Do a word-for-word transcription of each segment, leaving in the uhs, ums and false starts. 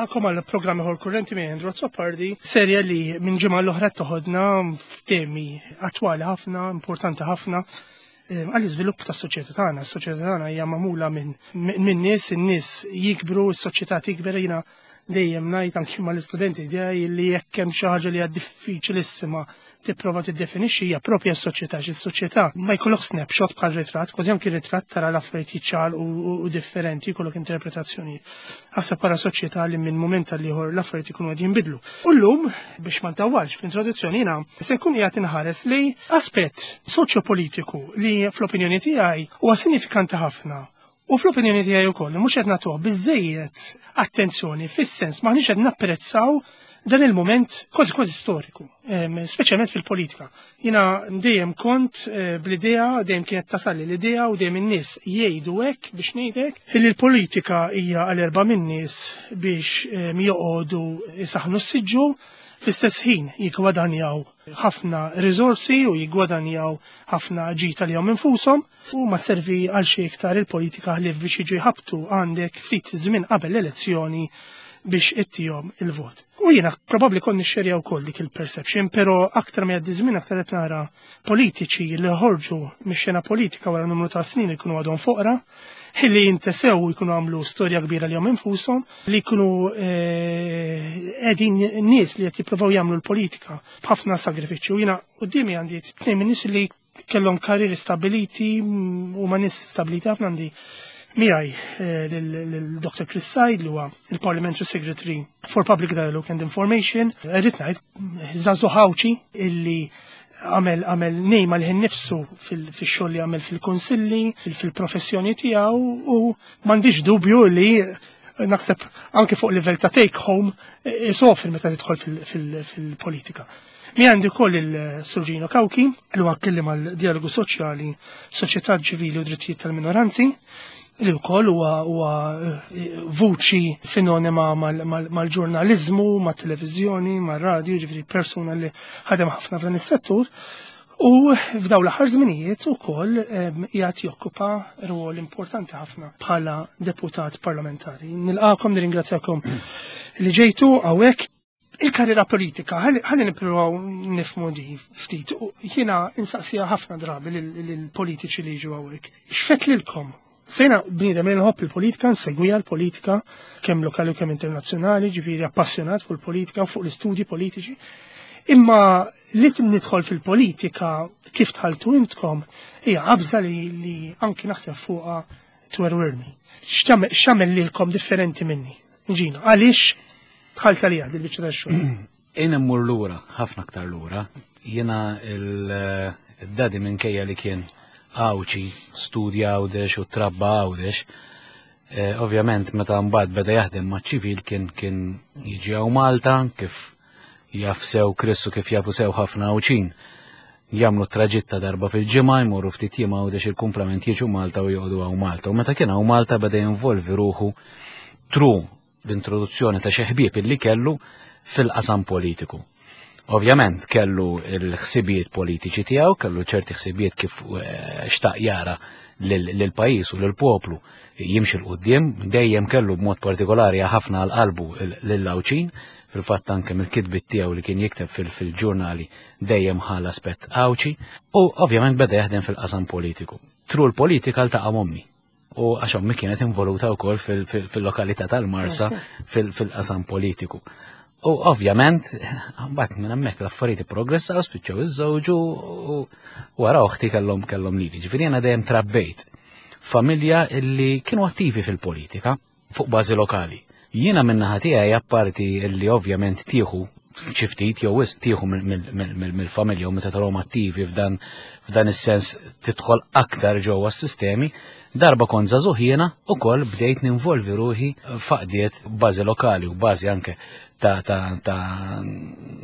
Nilqagħkom għal programm ieħor Kurrenti minn Andrew Azzopardi, serje li minn ġimgħa l-oħra toħodna f'temi attwali ħafna, importanti ħafna eh, għall-iżvilupp tas-soċjetà tagħna. Is-soċjetà tagħna hija magħmula minn min nies, in-nies jikbru, is-soċjetà tikber. Jiena dejjem ngħid anki mal-istudenti tiegħi li jekk hemm xi ħaġa li hija diffiċilissima tipprova tiddefinixxi, hija propja s-soċjetà, xi s-soċjetà ma jkollok snapshot bħal ritratt, kważi anki ritratt tara l-affarijiet jiċċaqalqu u, u differenti, jkollok interpretazzjoni. Ħaseb bħala soċjetà li minn mument għal ieħor l-affarijiet ikunu qed jinbidlu. U llum, biex ma ntawwalx fl-introduzzjoni, jiena se nkun qiegħed inħares li aspett soċjopolitiku li fl-opinjoni tiegħi huwa sinifikanti ħafna. U fl-opinjoni tiegħi wkoll mhux qed nagħtuh biżejjed attenzjoni, fis-sens maħniex qed napprezzaw dan il-moment kważi kważi storiku, speċjalment fil-politika. Jiena dejjem kont eh, bl-idea, dejjem kienet tasalli l-idea u dejjem in-nies jgħidu hekk, biex ngħidlek, li l-politika hija għal erba' min-nies biex joqogħdu jisaħnu s-siġġu, fl-istess ħin jiggwadanjaw ħafna riżorsi u jiggwadanjaw ħafna ġid għalihom infushom, u ma servi għal xi iktar il-politika ħlief biex jiġu jħabtu għandek ftit żmien qabel l-elezzjoni biex ittihom il-vot. U jiena probabbli kont nixxerja wkoll dik il-perception, però aktar ma jgħaddi żmien aktar qed nara politiċi li ħorġu mix-xena politika wara numru ta' snin jkunu għadhom foqra, li jintesew, jkunu għamlu storja kbira li jom infushom, li jkunu qegħdin nies li qed jippruvaw jagħmlu l-politika b'ħafna sagrifiċċju. Jiena quddiemi għandi tnejn minn nies li kellhom karrieri stabiliti u ma nies stabiliti ħafna. Għandi miegħi lil Doctor Chris Said, li huwa il-Parliamentary Secretary for Public Dialogue and Information. Irrid ngħid żagħżugħ Għawdxi illi għamel għamel name għalih innifsu fil-xogħol li għamel fil-kunsilli, fil-professjoni tiegħu, u m'għandix dubju li naħseb anke fuq livell ta' take home isofri meta tidħol fil-politika. Miegħi għandi wkoll il-Sur Gino Cauchi, li huwa kelliem għal djalogu soċjali, soċjetà ċivili u drittijiet tal-minoranzi, li wkoll huwa huwa vuċi sinonima mal-ġurnalizmu, mat-televiżjoni, mar-radju, ġifieri persuna li ħadem ħafna f'dan is-settur. U f'dawn l-aħħar żminijiet ukoll qiegħed jokkupa rwol importanti ħafna bħala deputat parlamentari. Nilqakom, nirringrazzjakom li ġejtu hawnhekk. Il-karriera politika, ħalli nippruvaw nifhmu di ftit. Jiena insaqsija ħafna drabi lill-politiċi li jiġu hawnhekk. X'fettlilkom? Jiena bniedem li nħobb il-politika, nsegwija l-politika, kemm lokali u kemm internazzjonali, ġifieri appassjonat fuq il-politika u fuq l-istudji politiċi. Imma li nidħol fil-politika kif dħaltu intkom hija qabża li, li anki naħseb fuqha twerwirni. X'għamel lilkom differenti minni? Gino, għaliex dħalt għalija dil-biċċa tax-xogħol? Jien immur lura, ħafna aktar lura. Jiena il-daddy, minkejja li kien Għawdxi, studja Għawdex u trabba Għawdex, eh, ovvjament meta mbagħad beda jaħdem maċ-ċivil kien kien jiġi hawn Malta, kif jaf sew Chris u kif jafu sew ħafna Għawdxin. Jagħmlu traġitt ta' darba fil-ġimgħa, jmorru ftit jiem Għawdex, il-kumplament jiġu Malta u joqogħdu hawn Malta. U meta kien hawn Malta beda jinvolvi ruħu through l-introduzzjoni ta' xi ħbieb illi kellu fil-qasam politiku. Ovvjament kellu l-ħsibijiet politiċi tiegħu, kellu ċerti ħsibijiet kif eh, xtaq jara lill-pajjiż u lill-poplu jimxi 'l quddiem, dejjem kellu b'mod partikolari ħafna għal qalbu lill-Għawdxin, fil-fatt anke mill-kitbiet tiegħu li kien jikteb fil-ġurnali dejjem ħa l-aspett Għawdxi, u ovvjament beda jaħdem fil-qasam politiku. Through l-politika ltaqa' m'ommi. U għax ommi kienet involuta wkoll fil-lokalità tal-Marsa fil-qasam politiku. U ovvjament, mbagħad minn hemmhekk l-affarijiet progressaw, spiċċaw iżżewġu u wara oħti kellhom kellhom lili. Ġifieri jiena dejjem trabbejt familja illi kienu attivi fil-politika fuq bażi lokali. Jiena min-naħa tiegħi, apparti illi ovvjament tieħu xi ftit jew wisq tieħu mill-familja u meta tarahom attivi f'dan f'dan is-sens tidħol aktar ġewwa s-sistemi, darba kont żagħżugħ jiena ukoll bdejt ninvolvi ruħi f'għaqdiet bażi lokali u bażi anke ta' ta' ta'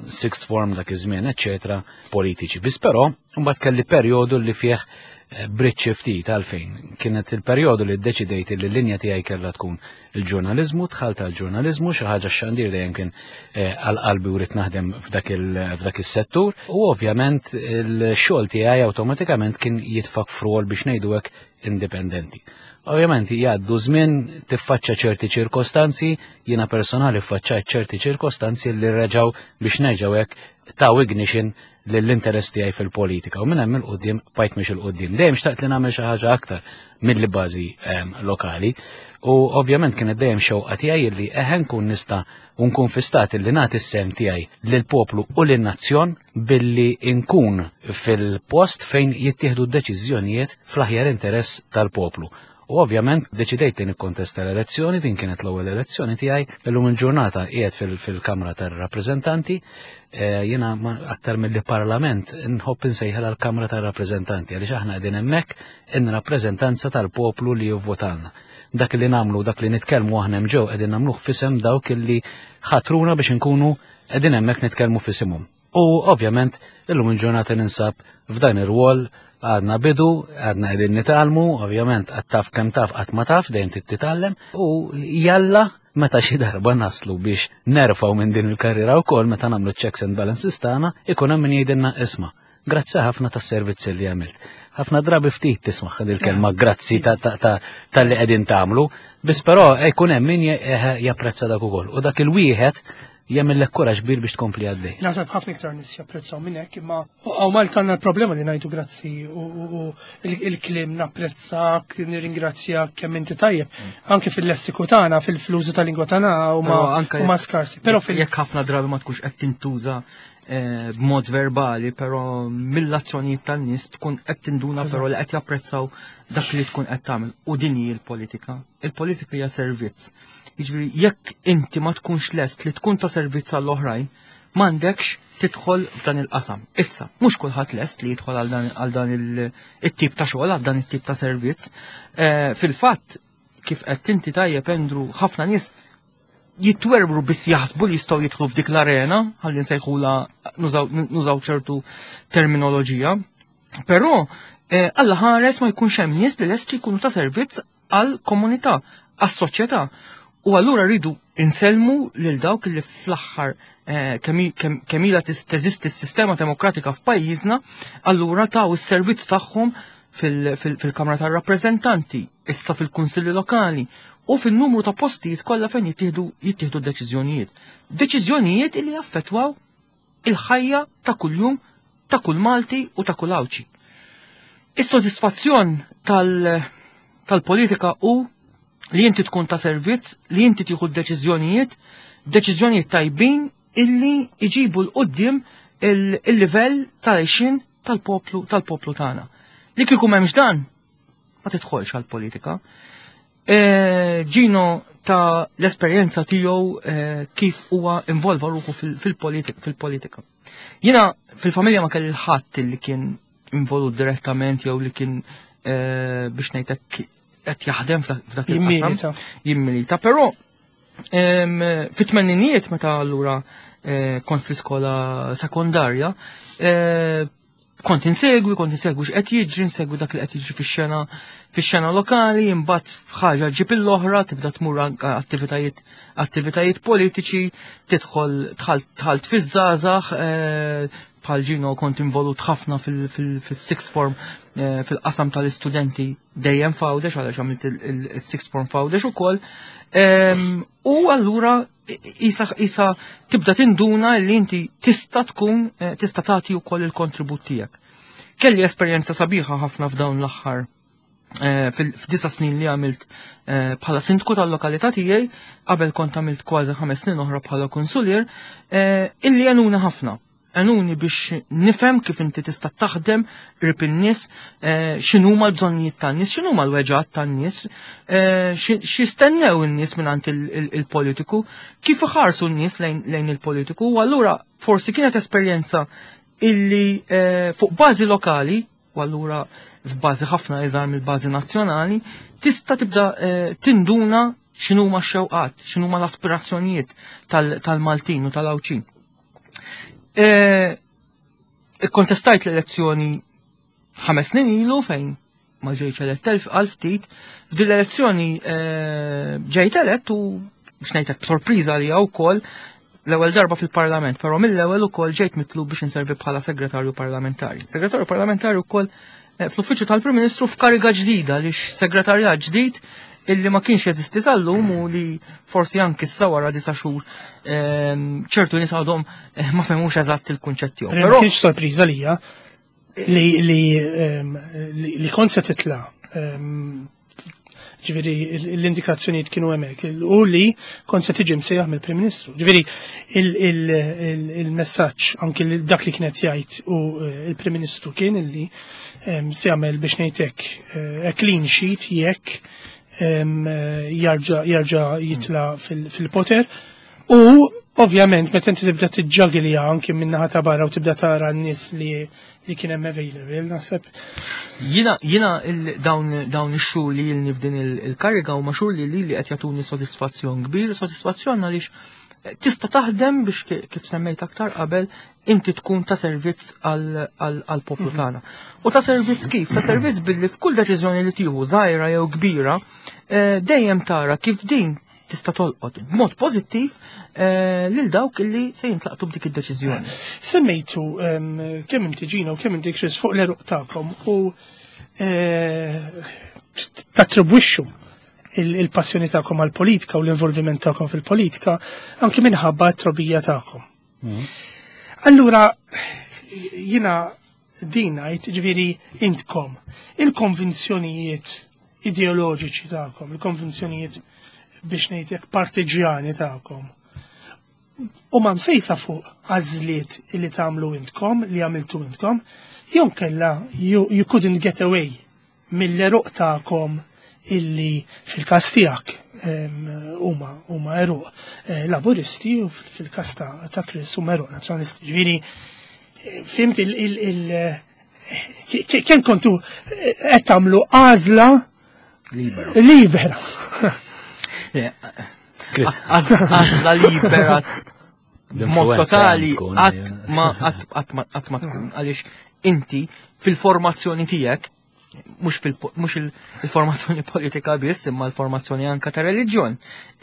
sixth form dak iż-żmien, eċċetera, politiċi. Biss però mbagħad kelli perjodu li fih eh, bridge ftit. Għalfejn? Kienet il-perjodu li ddeċidejt li l-linja tiegħi kellha tkun il-ġurnaliżmu, dħalt għal-ġurnaliżmu, xi ħaġa xandir dejjem kien eh, għal qalbi u rrid naħdem f'dak f'dak is-settur, u ovvjament il-xogħol tiegħi awtomatikament kien jitfak f'rol, biex ngħidu hekk. indipendenti. Ovvjament jgħaddu żmien, tiffaċċa ċerti ċirkostanzi, jiena personali ffaċċajt ċerti ċirkostanzi li reġgħu, biex nerġgħu hekk, taw ignition lill-interess tiegħi fil-politika u minn hemm 'il quddiem bqajt miexi 'l quddiem. Dejjem xtaqt li nagħmel xi ħaġa aktar mill bażi ehm, lokali u ovvjament kienet dejjem xewqa tiegħi li eħe nkun nista' u nkun fi stat li nagħti s-sehem tiegħi lill-poplu u lin-nazzjon billi nkun fil-post fejn jittieħdu d-deċiżjonijiet fl-aħjar interess tal-poplu. U ovvjament deċidejt li nikkontesta l-elezzjoni, din kienet l-ewwel elezzjoni tiegħi, illum il-ġurnata qiegħed fil-Kamra tar-Rappreżentanti, eh, jiena aktar mill-Parlament nħobb insejħel l-Kamra tar-Rappreżentanti għaliex aħna qegħdin hemmhekk in rappreżentanza tal-poplu li jivvotalna. Dak li nagħmlu, dak li nitkellmu aħna ġew, qegħdin nagħmluh f'isem dawk li ħatruna biex inkunu qegħdin hemmhekk nitkellmu f'isimhom. U ovvjament illum il-ġurnata ninsab f'dan ir-rwol. Għadna bidu, għadna qegħdin nitgħallmu, ovvjament għad taf kemm taf qatt ma taf, dejjem titgħallem u jalla meta xi darba naslu biex nerfgħu minn din il-karriera wkoll, meta nagħmlu checks and balances tagħna, ikun hemm min jgħidilna, "Isma', grazzi ħafna tas-servizzi li għamilt." Ħafna drabi ftit tisma' il-kelma grazzi tal-li qegħdin tagħmlu, biss però jkun hemm min japprezza dak ukoll. U dak il-wieħed jagħmillek kuraġġ kbir biex tkompli għaddej. Naħseb ħafna iktar nies japprezzaw minn hekk, imma hawn Malta għandna problema li ngħidu grazzi u il-kliem napprezzak, nirringrazzjak kemm inti tajjeb. Mm. Anke fil-lessiku tagħna, fil-użu tal-lingwa tagħna huma skarsi. Però jekk ħafna drabi ma tkunx qed tintuża eh, b'mod verbali, però mill-azzjonijiet tan-nies tkun qed tinduna però li qed japprezzaw dak li tkun qed tagħmel. U din hi l-politika. Il-politika hija servizz. Jiġifieri jekk inti ma tkunx lest li tkun ta' servizz għall-oħrajn, m'għandekx tidħol f'dan il-qasam. Issa, mhux kulħadd lest li jidħol għal dan it-tip ta' xogħol, għal dan it-tip ta' servizz. Eh, fil-fatt, kif qed inti tajjeb, Andrew, ħafna nies jitwerbru biss jaħsbu li jistgħu jidħlu f'dik l-arena, ħalli nsejħula, nużaw ċertu terminoloġija. Però eh, Alla ħares ma jkunx hemm nies li lesti jkunu ta' servizz għal komunità, għas-soċjetà. U allura rridu insellmu lil dawk li fl-aħħar eh, kemm ilha teżisti s-sistema demokratika f'pajjiżna, allura taw is-servizz tagħhom fil-Kamra tar-Rappreżentanti, issa fil-Kunsilli Lokali u fil-numru ta' postijiet kollha fejn jittieħdu jittieħdu deċiżjonijiet. Deċiżjonijiet li jaffettwaw il-ħajja ta' kuljum ta' kull Malti u ta' kull Għawdxi. Is-sodisfazzjon tal-politika u li inti tkun ta' servizz, li inti tieħu deċiżjonijiet, deċiżjonijiet tajbin illi iġibu 'l quddiem il-livell tal-għixien tal-poplu tal-poplu tagħna. Li kieku m'hemmx dan, ma tidħolx għall-politika. E, Gino ta l-esperjenza tiegħu e, kif huwa involva ruħu fil-politika. Jiena fil-familja ma kelli ħadd li kien involut direttament jew li kien e, biex ngħidlek qed jaħdem f'dak il-qasam. Jimmilita. Però fit-tmeninijiet, meta allura kont fl-iskola sekondarja, kont insegwi, kont insegwi x'qed jiġri, insegwi dak li qed jiġri fix-xena fix-xena lokali, imbagħad ħaġa ġib l-oħra, tibda tmur anke attivitajiet attivitajiet politiċi, tidħol dħalt fiż-żgħażagħ, eh, bħal Gino kont involut ħafna fil-sixth form, eh, fil-qasam tal-istudenti dejjem f'Għawdex, għaliex għamilt il-sixth form f'Għawdex ukoll. U allura isa, isa tibda tinduna li inti tista' tkun eh, tista' tagħti wkoll il-kontribut tiegħek. Kelli esperjenza sabiħa ħafna f'dawn l-aħħar eh, f'disa' snin li għamilt eh, bħala sindku tal-lokalità tiegħi, qabel kont għamilt kważi ħames snin oħra bħala konsulier, illi għenuna ħafna, għenuni biex nifhem kif inti tista' taħdem qrib in-nies, eh, x'inhuma l-bżonnijiet tan-nies, x'inhuma l-weġgħat tan-nies, eh, x'jistennew in-nies mingħand il-politiku, kif iħarsu n-nies lejn il-politiku, u allura forsi kienet esperjenza illi eh, fuq bażi lokali, u allura f'bażi ħafna iżgħar mill-bażi nazzjonali, tista' tibda tinduna x'inhuma x-xewqat, x'inhuma l-aspirazzjonijiet tal-Maltin u tal-Għawdxin. Ikkontestajt l-elezzjoni ħames snin ilu fejn ma ġejtx elett għal ftit. F'din l-elezzjoni ġejt elett u, biex ngħidlek, b'sorpriża li wkoll l-ewwel darba fil-Parlament, però mill-ewwel ukoll ġejt mitlub biex inservi bħala segretarju parlamentari. Segretarju parlamentari wkoll fl-uffiċċju tal-Prim Ministru f'kariga ġdida li segretarjat ġdid illi ma kienx jeżisti sal-lum u li forsi anki issa wara disa' xhur ċertu nies għadhom ma fehmux eżatt il-kunċett tiegħu. Però kienx sorpriża lija li li li kont se titla' ġifieri l-indikazzjonijiet kienu hemmhekk u li kont se tiġi msejjaħ mill-Prim Ministru. Ġifieri il-messaġġ anki dak li kienet jgħid u il-Prim Ministru kien illi se jagħmel biex ngħidlek a clean sheet jekk jarġa' jitla fil-poter. U ovvjament meta inti tibda tiġġagilja anki min-naħa ta' barra u tibda tara n-nies li li kien hemm available, naħseb. Jiena jiena dawn dawn ix-xhur li ilni f'din il-kariga huma xhur li li qed jagħtuni sodisfazzjon kbir, sodisfazzjon għaliex tista' taħdem biex kif semmejt aktar qabel inti tkun ta' servizz għall-poplu tagħna. U ta' servizz kif? Ta' servizz billi f'kull deċiżjoni li tieħu żgħira jew kbira, dejjem tara kif din tista' tolqot b'mod pożittiv lil dawk illi se jintlaqtu b'dik id-deċiżjoni. Semmejtu kemm inti Gino u kemm inti Chris fuq l-eruq tagħkom u tattribwixxu il-passjoni tagħkom għall-politika u l-involviment tagħkom fil-politika anki minħabba t-trobija tagħkom. Allura jiena din ngħid ġifieri intkom il-konvinzjonijiet ideoloġiċi tagħkom, il-konvinzjonijiet biex ngħidlek partiġjani tagħkom. U ma msejsa fuq għażliet li tagħmlu intkom, li għamiltu intkom, jew kella you, you couldn't get away mill-eruq tagħkom illi fil-każ tiegħek huma huma eruq laburisti u fil-każ ta' Chris huma eruq nazzjonalisti. Ġifieri fimt il il kemm kontu qed tagħmlu għażla libera. Libera. Għażla libera mod totali qatt ma qatt ma tkun għaliex inti fil-formazzjoni tiegħek mhux il-formazzjoni politika biss imma l-formazzjoni anka ta' reliġjon,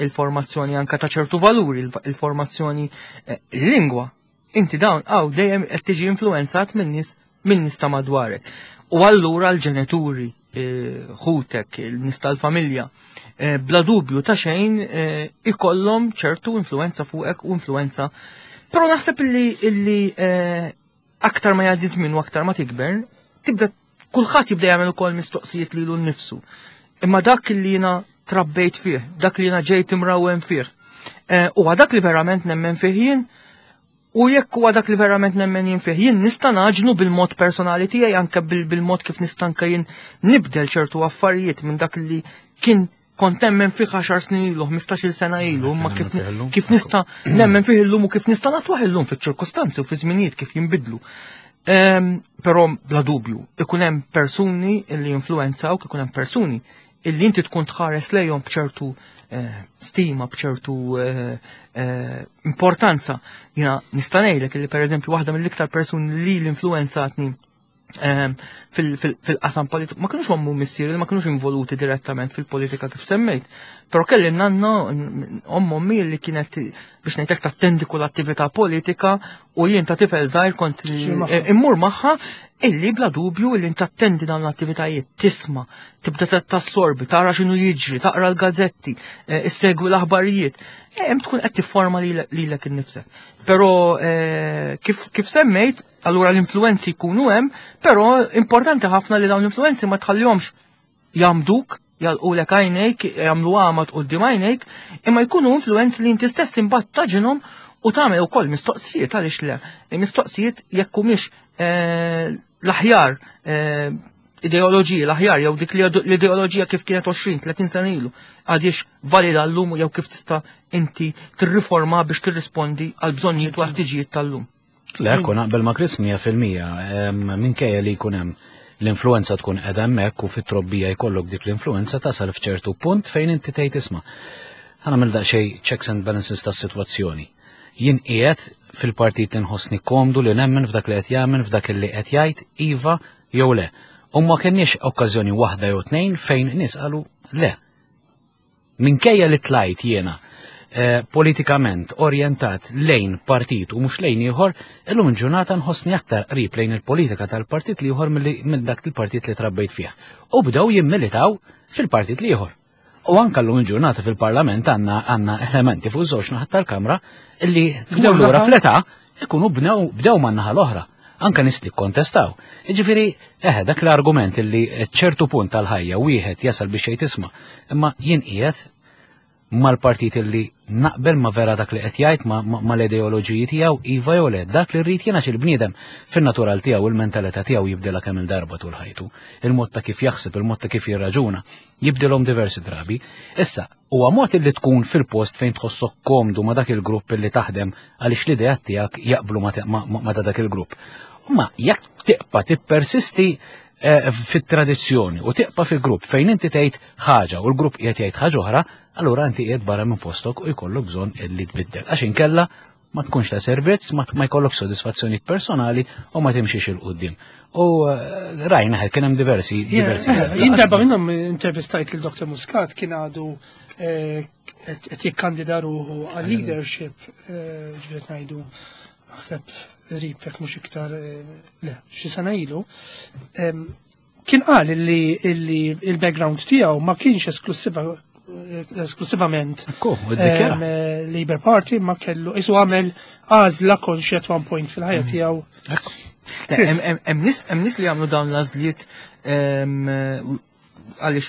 il-formazzjoni anka ta' ċertu valuri, il-formazzjoni lingwa. Inti dawn għaw dejjem qed tiġi influenzat minn nies minn nies ta' madwarek. U allura l-ġenituri, ħutek, il-nies tal-familja, bla dubju ta' xejn ikollhom ċertu influenza fuqek u influenza. Però naħseb illi illi aktar ma jgħaddi żmien u aktar ma tikber, tibda kulħadd jibda jagħmel ukoll mistoqsijiet lilu nnifsu. Imma dak li jiena trabbejt fih, dak li jiena ġejt imrawwem fih, huwa dak li verament nemmen fih jien, u jekk huwa dak li verament nemmen jien fih, jien nista' naġnu bil-mod personali tiegħi anke bil-mod kif nista' anke jien nibdel ċertu affarijiet minn dak li kien kont nemmen fih għaxar snin ilu, ħmistax-il sena ilu, imma kif kif nista' nemmen fih illum u kif nista' natwaħ illum fiċ-ċirkustanzi u fi żminijiet kif jinbidlu. Però bla dubju, ikun hemm persuni li influenzawk, ikun hemm persuni illi inti tkun tħares lejhom b'ċertu stima, b'ċertu importanza. Jiena nista' ngħidlek illi pereżempju waħda mill-iktar persuni li l-influenzatni fil-qasam politiku, ma kienux ommu missieri, ma kienux involuti direttament fil-politika kif semmejt, però kelli nanna omm ommi li kienet biex ngħidlek tattendi kull attività politika u jien ta' tifel żgħir kont immur magħha illi bla dubju illi tattendi dawn l-attivitajiet, tisma', tibda tassorbi, tara x'inhu jiġri, taqra l-gazzetti, issegwi l-aħbarijiet, hemm tkun qed tifforma lilek innifsek. Però kif kif semmejt, allura l-influenzi jkunu hemm, però importanti ħafna li dawn l-influenzi ma tħallihomx jagħmduk, jalqulek għajnejk, jagħmlu għamad quddiem għajnejk, imma jkunu influenzi li inti stess imbagħad taġinhom u tagħmel ukoll mistoqsijiet għaliex le. Mistoqsijiet jekk humiex l-aħjar ideoloġija, l-aħjar jew dik l-ideoloġija kif kienet għoxrin, tletin sena ilu, għadiex valida llum jew kif tista' inti tirriforma biex tirrispondi għal bżonnijiet u ħtiġijiet tal-lum. Le, kun naqbel ma' Chris mija fil-mija, minkejja li jkun hemm l-influenza tkun qiegħda hemmhekk u fit-trobbija jkollok dik l-influenza tasal f'ċertu punt fejn inti tgħid isma' ħa nagħmel daqsxejn checks and balances tas-sitwazzjoni. Jien qiegħed fil-partit li nħossni komdu li nemmen f'dak li qed jagħmel, f'dak li qed jgħid, iva jew le. U ma kenniex okkażjoni waħda jew tnejn fejn nies qalu le. Minkejja li tlajt jiena eh, politikament orjentat lejn partit u mhux lejn ieħor, illum il-ġurnata nħossni aktar qrib lejn il-politika tal-partit l-ieħor minn dak il-partit li trabbejt fih. U bdew jimmilitaw fil-partit l-ieħor. U anka llum il-ġurnata fil-parlament għandna għandna elementi fuq żewġ naħat tal-Kamra illi tmur lura fl-età ikunu bnew bdew man-naħa l-oħra. Anka nies li kontestaw. Jiġifieri, eħe, dak l-argument illi ċertu punt tal-ħajja wieħed jasal biex jgħid isma' imma jien qiegħed mal-partit illi naqbel ma vera dak li qed jgħid ma, ma, ma l-ideoloġiji tiegħu iva jew le, dak li rrid jiena il-bniedem fin-natural tiegħu il-mentalità tiegħu jibdilha kemm il-darba tul ħajtu. Il-mod ta' kif jaħseb, il-mod ta' kif jirraġuna, jibdilhom diversi drabi. Issa, huwa mod illi tkun fil-post fejn tħossok komdu ma dak il-grupp illi taħdem għaliex l-idea tiegħek jaqblu ma, ma, ma, ma ta' dak il-grupp. Ma jekk tibqa' tippersisti eh, fit-tradizzjoni u tibqa' fi grupp fejn inti tgħid ħaġa u l-grupp qiegħed jgħid ħaġa oħra, allura inti qiegħed barra minn postok u jkollok bżonn illi tbiddel. Għax inkella ma tkunx ta' servizz, ma ma jkollok sodisfazzjoni personali u ma timxiex 'il quddiem. U eh, rajna kien hemm diversi diversi. Eh, jien darba minnhom intervistajt lil Dottor Muscat, kien għadu eh, qed jikkandida ruħu għal leadership, ġifieri ngħidu naħseb qrib jekk mhux iktar, le, xi sena ilu. Kien qal illi il-background tiegħu ma kienx esklusiva esklusivament Labour Party, ma kellu isu għamel għażla konxja at one point fil-ħajja mm. tiegħu. Hemm nies li jagħmlu dawn l-għażliet għaliex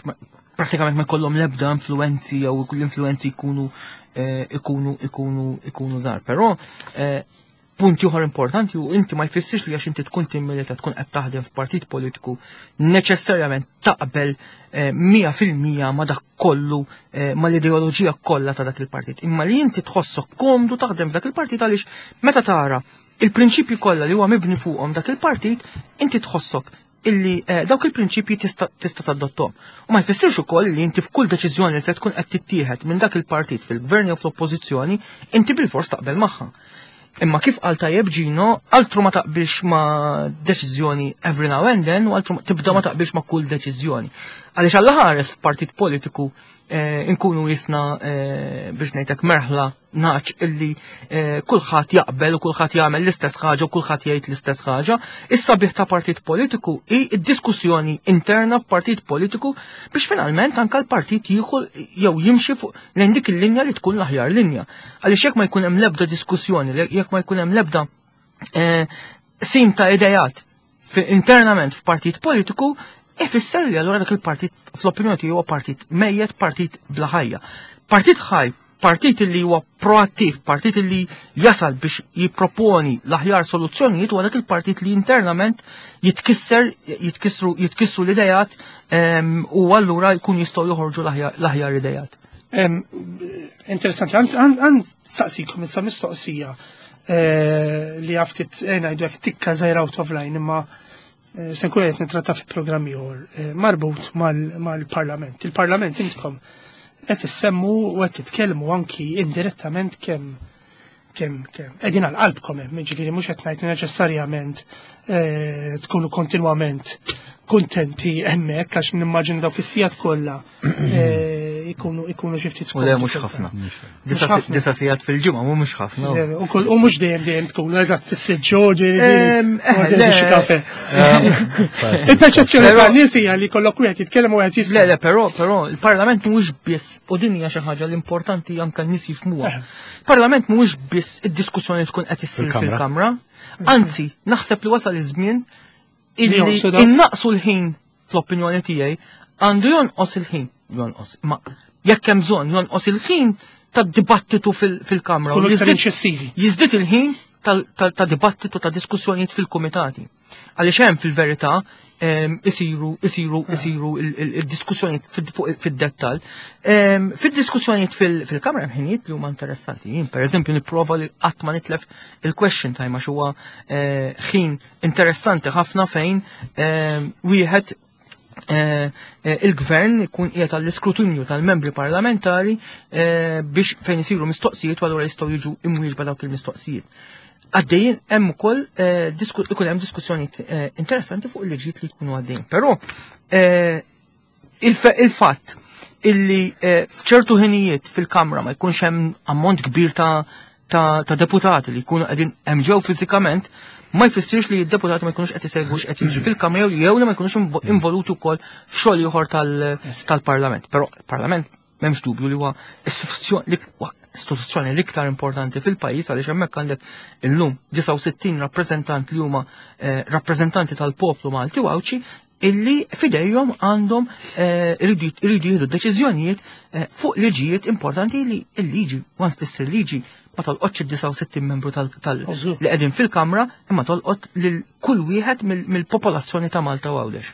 pratikament ma jkollhom l-ebda influenzi jew l-influenzi jkunu eh, ikunu ikunu ikunu żgħar. Però eh, punt ieħor importanti u inti ma jfissirx li għax inti tkun timmilita, tkun qed taħdem f'partit politiku, neċessarjament taqbel eh, mija fil-mija ma dak kollu, ma l-ideoloġija kollha ta' dak il-partit. Imma li inti tħossok komdu taħdem f'dak il-partit għaliex meta tara il-prinċipji kollha li huwa mibni fuqhom dak il-partit, inti tħossok illi eh, dawk il-prinċipji tista' tista' tadottom. U ma jfissirx ukoll li inti f'kull deċiżjoni li se tkun qed tittieħed minn dak il-partit fil-gvern jew fl-oppożizzjoni, inti bil-fors taqbel magħha. Imma kif qal tajjeb Gino, altru ma taqbilx ma' deċiżjoni every now and then, u altru tibda ma taqbilx ma' kull deċiżjoni. Għaliex alla ħares f'partit politiku eh, nkunu jisna eh, biex ngħidlek merħla nagħaġ illi eh, kulħadd jaqbel u kulħadd jagħmel l-istess ħaġa u kulħadd jgħid l-istess ħaġa. Issa bih ta' partit politiku hi d-diskussjoni interna f'partit politiku biex finalment anka l-partit jieħu jew jimxi fuq lejn dik il-linja li tkun l-aħjar linja. Għaliex jekk ma jkun hemm l-ebda diskussjoni, jekk ma jkun hemm l-ebda qsim ta' idejat internament f'partit politiku, ifisser li allura dak il-partit fl-opinjoni tiegħu huwa partit mejjet, partit bla ħajja. Partit ħaj, partit li huwa proattiv, partit li jasal biex jipproponi l-aħjar soluzzjonijiet huwa dak il-partit li internament jitkisser, jitkissru, jitkissru l-idejat u allura jkun jistgħu joħorġu l-aħjar idejat. Interessanti, għand saqsikom issa mistoqsija eh, li għaftit eh, ngħidu hekk tikka żgħira out of line, imma eh, se nkun qed nitratta fi programm ieħor marbut mal-Parlament. Il-Parlament intkom qed issemmu u qed titkellmu anki indirettament kemm kemm kemm qegħdin għal qalbkom hemm, jiġifieri mhux qed ngħid neċessarjament tkunu kontinwament kuntenti hemmhekk, għax nimmaġina dawk is-sigħat kollha ikunu ikunu xi ftit U le, mhux ħafna. Disa' sigħat fil-ġimgħa mhux ħafna. U mhux dejjem dejjem tkunu eżatt fis-siġġu, ġifieri kafe. Il-perċezzjoni tan-nies hija li kollok wieħed jitkellem u wieħed jisma'. Le, le, però però il-Parlament mhuwiex biss, u din hija xi ħaġa l-importanti anke n-nies jifhmuha. Il-Parlament mhuwiex biss id-diskussjoni tkun qed issir fil-Kamra. Anzi, naħseb li wasal iż-żmien illi innaqsu l-ħin, fl-opinjoni tiegħi għandu jonqos il-ħin, jonqos, ma jekk hemm bżonn jonqos il-ħin tad-dibattitu fil-Kamra. Jiżdied il-ħin ta' dibattitu, ta' diskussjonijiet fil-kumitati. Għaliex hemm fil-verità isiru isiru isiru il-diskussjonijiet fid-dettall. Fid-diskussjonijiet fil-Kamra hemm ħinijiet li huma interessanti. Jien pereżempju nipprova li qatt ma nitlef il-question time għax huwa eh, ħin interessanti ħafna fejn wieħed eh, eh, il-gvern ikun qiegħed għall-iskrutinju tal-membri parlamentari biex fejn isiru mistoqsijiet u allura jistgħu jiġu imwieġba dawk il-mistoqsijiet. Għaddejjin hemm ukoll ikun hemm diskussjonijiet interessanti fuq il-liġijiet li jkunu għaddejjin. Però il-fatt Illi eh, f'ċertu ħinijiet fil-Kamra ma jkunx hemm ammont kbir ta' ta', ta deputati li jkunu qegħdin hemm ġew fiżikament, ma jfissirx li d-deputati ma jkunux qed isegwu x'qed jiġri fil-Kamra jew li ma jkunux involuti wkoll f'xogħol ieħor tal-Parlament. Però il-Parlament m'hemmx dubju li huwa istituzzjoni istituzzjoni l-iktar importanti fil-pajjiż, għaliex hemmhekk għandek illum disgħa u sittin rappreżentant li huma eh, rappreżentanti tal-poplu Malti u Għawdxi illi fidejhom għandhom eh, iridu jieħdu deċiżjonijiet eh, fuq liġijiet importanti, li l-liġi, once tissir liġi, ma tolqotx id-disgħa u sittin membru tal li qegħdin fil-Kamra, imma tolqot lil kull wieħed mill-popolazzjoni ta' Malta u Għawdex.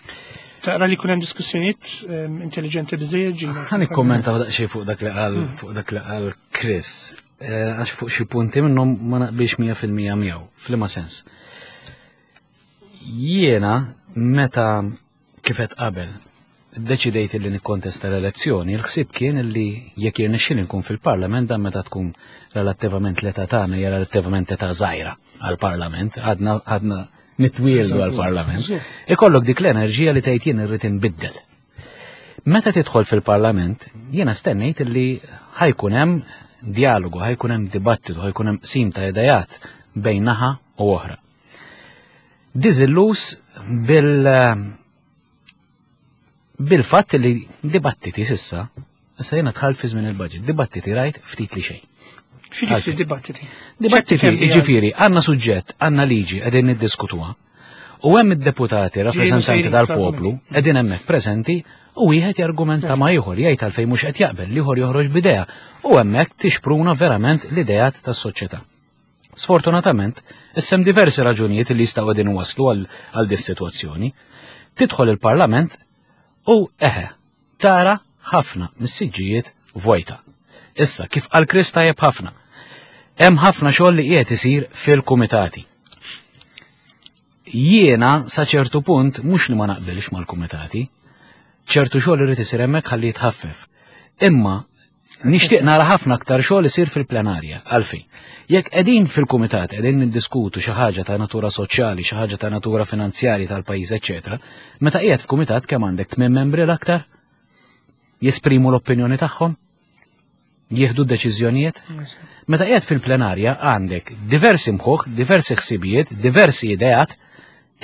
Tara li kun hemm diskussjonijiet ehm, intelligenti biżejjed, ġina? Ħa nikkommenta daqsxejn fuq dak li qal hmm. fuq dak li qal Chris. Eh, għax fuq xi punti minnhom ma naqbilx mija fil-mija miegħu, f'liema sens? Jiena meta kif għedt qabel deċidejt li nikkontesta l-elezzjoni, il-ħsieb kien li jekk jirnexxili nkun fil-Parlament, dan meta tkun relattivament l-età tagħna hija relattivament età żgħira għall-Parlament, għadna għadna nitwieldu għall-Parlament, ikollok dik l-enerġija li tgħid jien irrid inbiddel. Meta tidħol fil-Parlament, jiena stennejt li ħa jkun hemm dialogu, ħa jkun hemm dibattitu, ħa jkun hemm qsim ta' idejat bejn naħa u oħra. Diżilluż bil bil-fatt li dibattiti s'issa, issa jiena dħalt fi żmien il-budget, dibattiti rajt ftit li xejn. X'jiġifieri dibattiti? Dibattiti, ġifieri, għandna suġġett, għandna liġi, qegħdin niddiskutuha. U hemm id-deputati, rappreżentanti tal-poplu, qegħdin hemmhekk preżenti u wieħed jargumenta ma' ieħor, jgħid għalfejn mhux qed jaqbel, l-ieħor joħroġ b'idea u hemmhekk tixpruna verament l-ideat tas-soċjetà. Sfortunatament, issa hemm diversi raġunijiet li jistgħu qegħdin waslu għal dis-sitwazzjoni. Tidħol il-Parlament u eħe, tara ħafna mis-siġġijiet vojta. Issa, kif qal Chris tajjeb ħafna, hemm ħafna xogħol li qiegħed isir fil-kumitati. Jiena sa ċertu punt mhux li ma naqbilx mal-kumitati, ċertu xogħol irid isir hemmhekk ħalli jitħaffef. Imma nixtieq nara ħafna aktar xogħol isir fil-plenarja. Għalfejn? Jekk qegħdin fil-kumitat qegħdin niddiskutu xi ħaġa ta' natura soċjali, xi ħaġa ta' natura finanzjarja tal-pajjiż, eċetera, meta qiegħed f'kumitat kemm għandek, tmien membri l-aktar jesprimu l-opinjoni tagħhom, jieħdu deċiżjonijiet. Meta qiegħed fil-plenarja għandek diversi mħuħ, diversi ħsibijiet, diversi ideat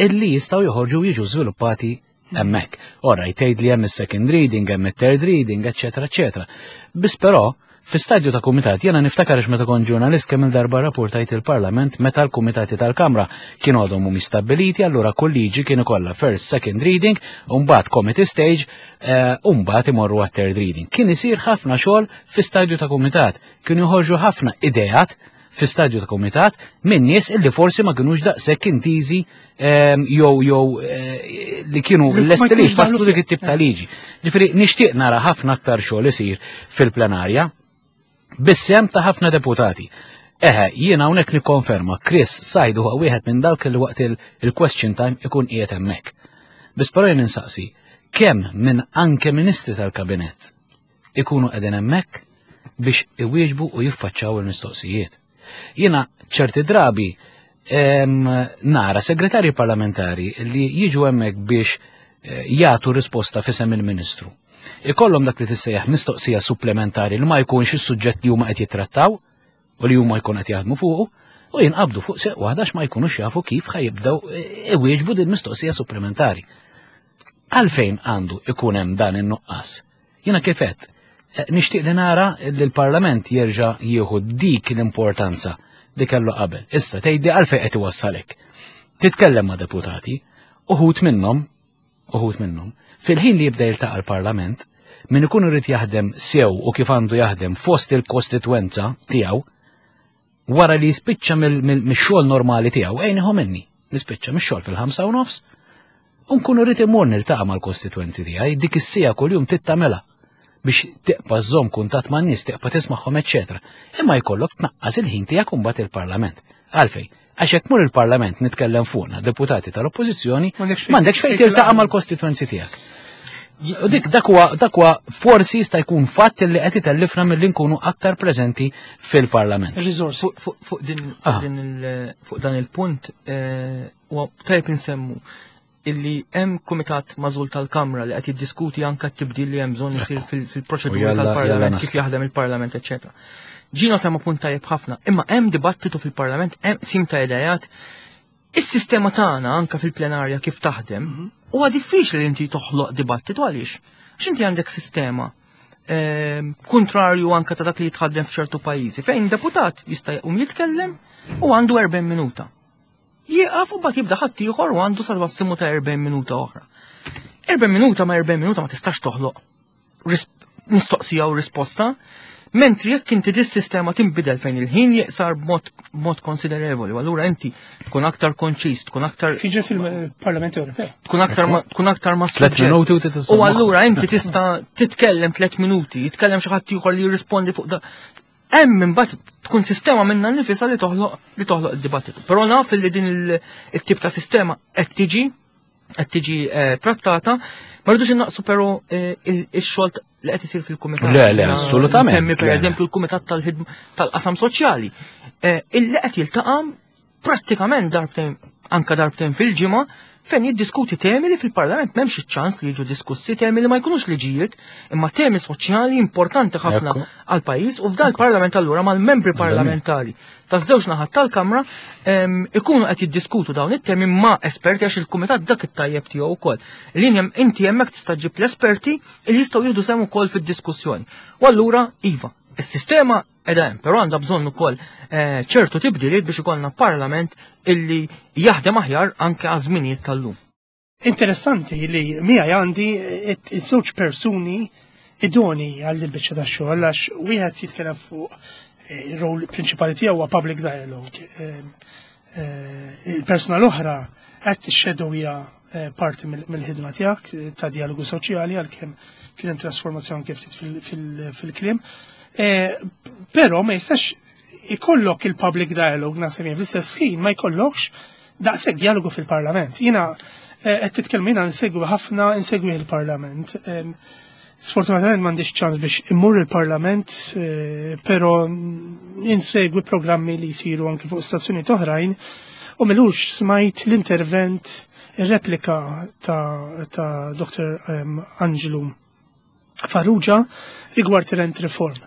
illi jistgħu joħorġu, jiġu żviluppati hemmhekk. Ora jtgħid li hemm is-second reading, hemm it-third reading, eċetera, eċetera. Biss però fi stadju ta' kumitat, jiena niftakar meta kont ġurnalist kemm il-darba rapportajt il-Parlament meta l-kumitati tal-Kamra kienu għadhom mhumiex stabbiliti, allura kull liġi kienu kollha first, second reading, u mbagħad committee stage, eh, u mbagħad imorru għat-third reading. Kien isir ħafna xogħol fi stadju ta' kumitat, kienu joħorġu ħafna ideat fi stadju ta' kumitat minn nies illi forsi ma kinux daqshekk intiżi ehm, jew jew eh, li kienu lesti li jfasslu dik it-tip ta' liġi. Ġifieri nixtieq nara ħafna aktar xogħol isir fil-plenarja bis-sehem ta' ħafna deputati. Eħe, jiena hawnhekk nikkonferma, Chris Said huwa wieħed minn dawk li waqt il-question time ikun qiegħed hemmhekk. Biss però jien insaqsi, kemm minn anke ministri tal-kabinett ikunu qegħdin hemmhekk biex iwieġbu u jiffaċċaw il-mistoqsijiet? Jiena ċerti drabi em, nara segretarji parlamentari li jiġu hemmhekk biex eh, jagħtu risposta f'isem il-Ministru. Ikollhom dak li tissejjaħ mistoqsija supplementari li ma jkunx is-suġġett li huma qed jittrattaw u li huma jkun qed jaħdmu fuqu u jinqabdu fuq seq waħda ma jkunux jafu kif ħa jibdew eh, iwieġbu din mistoqsija supplementari. Għalfejn għandu ikun hemm dan in-nuqqas? Jiena kif għedt, eh, nixtieq li nara li l-Parlament jerġa' jieħu dik l-importanza li kellu qabel. Issa tgħidli għalfejn qed iwassalek. Titkellem ma' deputati, uħud minnhom, uħud minnhom, fil-ħin li jibda jiltaqa' l-Parlament, min ikun irid jaħdem sew u kif għandu jaħdem fost il-kostitwenza tiegħu, wara li jispiċċa mix-xogħol normali tiegħu, ejn minni, nispiċċa mix-xogħol fil-ħamsa u nofs, u nkun irrid imur niltaqa' mal-kostitwenti tiegħi, dik is-siegħa kuljum tittamela biex tibqa' żżomm kuntatt man-nies, tibqa' tismagħhom, eċċetera. Imma jkollok tnaqqas il-ħin tiegħek imbagħad il-Parlament. Għalfejn? Għax jekk mur il-Parlament, nitkellem fuqna, deputati tal-Oppożizzjoni, m'għandekx fejn tiltaqa' mal-kostitwenzi tiegħek. U dik dak huwa dak huwa forsi jista' jkun fatt li qed itellifna milli nkunu aktar preżenti fil-Parlament. Il-riżorsi. Fuq fuq din fuq din il- fuq dan il-punt eh, huwa tajjeb insemmu Illi hemm kumitat magħżul tal-Kamra li qed jiddiskuti anke t-tibdil li hemm bżonn isir fil-proċedura tal-Parlament, kif jaħdem il-Parlament, eċċetera. Ġino semma punt tajjeb ħafna, imma hemm dibattitu fil-Parlament, hemm qsim ta' idejat. Is-sistema tagħna anke fil-plenarja kif taħdem, mhm. huwa diffiċli li inti toħloq dibattitu. Għaliex? Għax inti għandek sistema ehm, kontrarju anke ta' dak li jitħaddem f'ċertu pajjiżi, fejn deputat jista' jqum jitkellem u għandu erbgħin minuta. Jieqaf u mbagħad jibda ħadd ieħor u għandu sa massimu ta' erbgħin minuta oħra. erbgħin minuta ma' erbgħin minuta ma tistax toħloq mistoqsija u risposta, mentri jekk inti dis-sistema tinbidel fejn il-ħin jiqsar b'mod konsiderevoli, u allura inti tkun aktar konċis, tkun aktar Fiġi fil-Parlament Ewropew. Tkun aktar tkun aktar ma' Tlet minuti u U allura inti tista' titkellem tliet minuti, jitkellem xi ħadd ieħor li jirrispondi fuq da. Hemm imbagħad tkun sistema minna nifisha li toħloq li toħloq id-dibattitu. Però naf li din il-tip ta' sistema qed tiġi qed tiġi eh, trattata, ma rridux innaqsu però eh, ix-xogħol li qed isir fil-kumitat. Le, le, assolutament. Semmi pereżempju l-kumitat tal-ħidma tal-qasam soċjali. Eh, illi qed jiltaqa' prattikament darbtejn, anka darbtejn fil-ġimgħa, fejn jiddiskuti temi li fil-Parlament m'hemmx iċ-ċans li jiġu diskussi, temi li ma jkunux liġijiet, imma temi soċjali importanti ħafna għal pajjiż. U f'dan il-Parlament allura mal-membri parlamentari taż-żewġ naħat tal-Kamra ikunu qed jiddiskutu dawn it-temi ma' esperti, għax il-kumitat dak it-tajjeb tiegħu wkoll. Li inti hemmhekk tista' ġib l-esperti li jistgħu jieħdu sehem ukoll fid-diskussjoni. U allura iva, is-sistema qiegħda hemm, però għandha bżonn ukoll eh, ċertu tibdiliet biex ikollna parlament illi jaħdem aħjar anke għaż-żminijiet tal-lum. Interessanti li miegħi għandi iż-żewġ persuni idoni għal biċċa ta' xogħol, għax wieħed jitkellem fuq eh, il-rol prinċipali tiegħu huwa public dialogue. Eh, il-persuna l-oħra qed tixxedowja parti mill-ħidma tiegħek ta' dialogu soċjali, għalkemm kien hemm trasformazzjoni kif fil-kliem. Però ma jistax ikollok il-public dialogue, naħseb jien, fl-istess ħin ma jkollokx daqshekk dialogu fil-Parlament. Jiena qed titkellmu, jiena nsegwi ħafna, insegwi il-Parlament. Sfortunatament m'għandix ċans biex immur il-Parlament, però insegwi programmi li jsiru anke fuq stazzjonijiet oħrajn u m'ilux smajt l-intervent, il-replika ta', ta Doktor Angelo Farrugia rigward il-rent reform.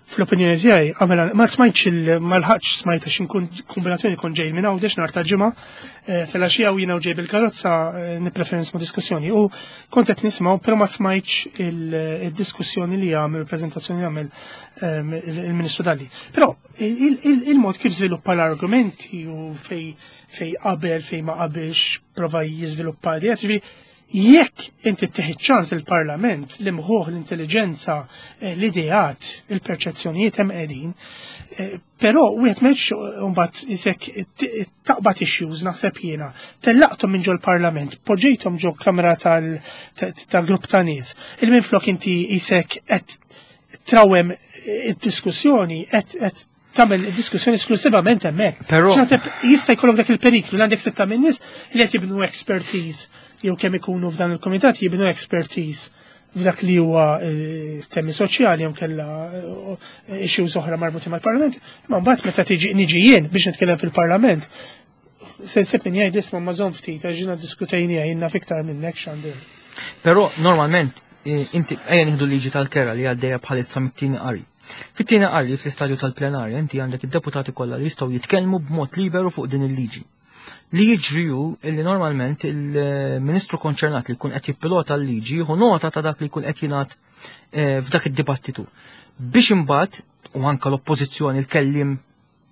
Fl-opinjoni tiegħi għamela ma smajtx il ma lħaqx smajt għax inkun kombinazzjoni kont ġej minn Għawdex nhar ta' Ġimgħa eh, filgħaxija u jiena u ġej bil-karozza eh, nippreferi nisma' diskussjoni u kont qed nisma', però ma smajtx il-diskussjoni li għamel, il-preżentazzjoni li għamel ehm, il-Ministru Dalli. Però il-mod kif żviluppa l-argumenti u fej fej qabel, fej ma qabilx, prova jiżviluppa li ġifieri jekk inti tieħu ċans il-Parlament, l-imħuħ, l-intelligenza, eh, l-ideat, il-perċezzjonijiet hemm qegħdin, eh, però wieħed m'hemmx mbagħad isek taqbad issues, naħseb jiena, tellaqthom minn ġol-Parlament, poġġejthom ġo kamra tal-grupp ta' nies. Il minflok inti isek qed trawem id-diskussjoni, qed tagħmel diskussjoni esklusivament hemmhekk. Però naħseb jista' jkollok dak il-periklu li għandek sitta minn nies li qed jibnu expertise, jew kemm ikunu f'dan il-komitat jibnu expertise f'dak li huwa eh, temi soċjali jew kella eh, issues oħra marbuti mal-Parlament, imma mbagħad meta tiġi niġi jien biex nitkellem fil-Parlament, se nsib min jgħid: "Isma', ma żomm ftit, għax ġina diskutejnija, jien naf iktar minnek x'għandu." Però normalment eh, inti ejja nieħdu liġi tal-kera li għaddejja bħalissa mit-tieni qari. Fit-tieni qari, fl-istadju tal-plenarja, inti għandek id-deputati kollha li jistgħu jitkellmu b'mod liberu fuq din il-liġi. Li jiġri hu illi normalment il-ministru konċernat li jkun qed jippilota l-liġi jieħu nota ta' dak li jkun qed jingħad eh, f'dak id-dibattitu. Biex imbagħad u anka l-oppożizzjoni, il-kellim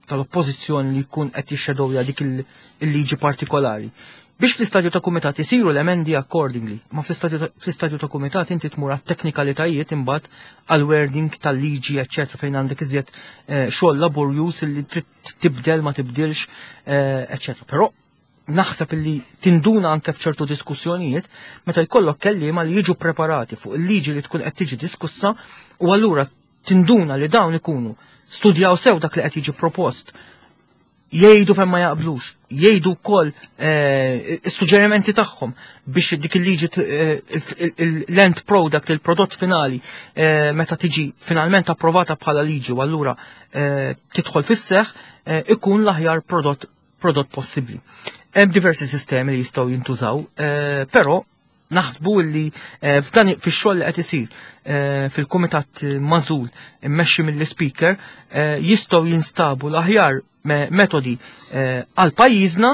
tal-oppożizzjoni li jkun qed jixxedowja dik il-liġi partikolari. Biex fl-istadju ta' kumitat isiru l-emendi accordingly, ma fl-istadju ta' kumitat inti tmur għat-teknikalitajiet imbagħad, għal-wording tal-liġi, eċċetera, fejn għandek iżjed eh, xogħol laborjus li trid tibdel, ma tibdilx, eh, eċċetera. Però naħseb illi tinduna anke f'ċertu diskussjonijiet meta jkollok kelliema li jiġu preparati fuq il-liġi li tkun qed tiġi diskussa, u allura tinduna li dawn ikunu studjaw sew dak li qed jiġi propost, jgħidu fejn ma jaqblux, jgħidu wkoll eh, is-suġġerimenti tagħhom biex dik il-liġi, eh, l-end product, il-prodott finali, eh, meta tiġi finalment approvata bħala liġi u allura tidħol fis-seħ, ikun l-aħjar prodott prodott possibbli. Hemm diversi sistemi li jistgħu jintużaw, eh, però naħsbu li eh, f'dan fix-xogħol li qed isir eh, fil-kumitat magħżul immexxi mill-speaker eh, jistgħu jinstabu l-aħjar me- metodi eh, għal pajjiżna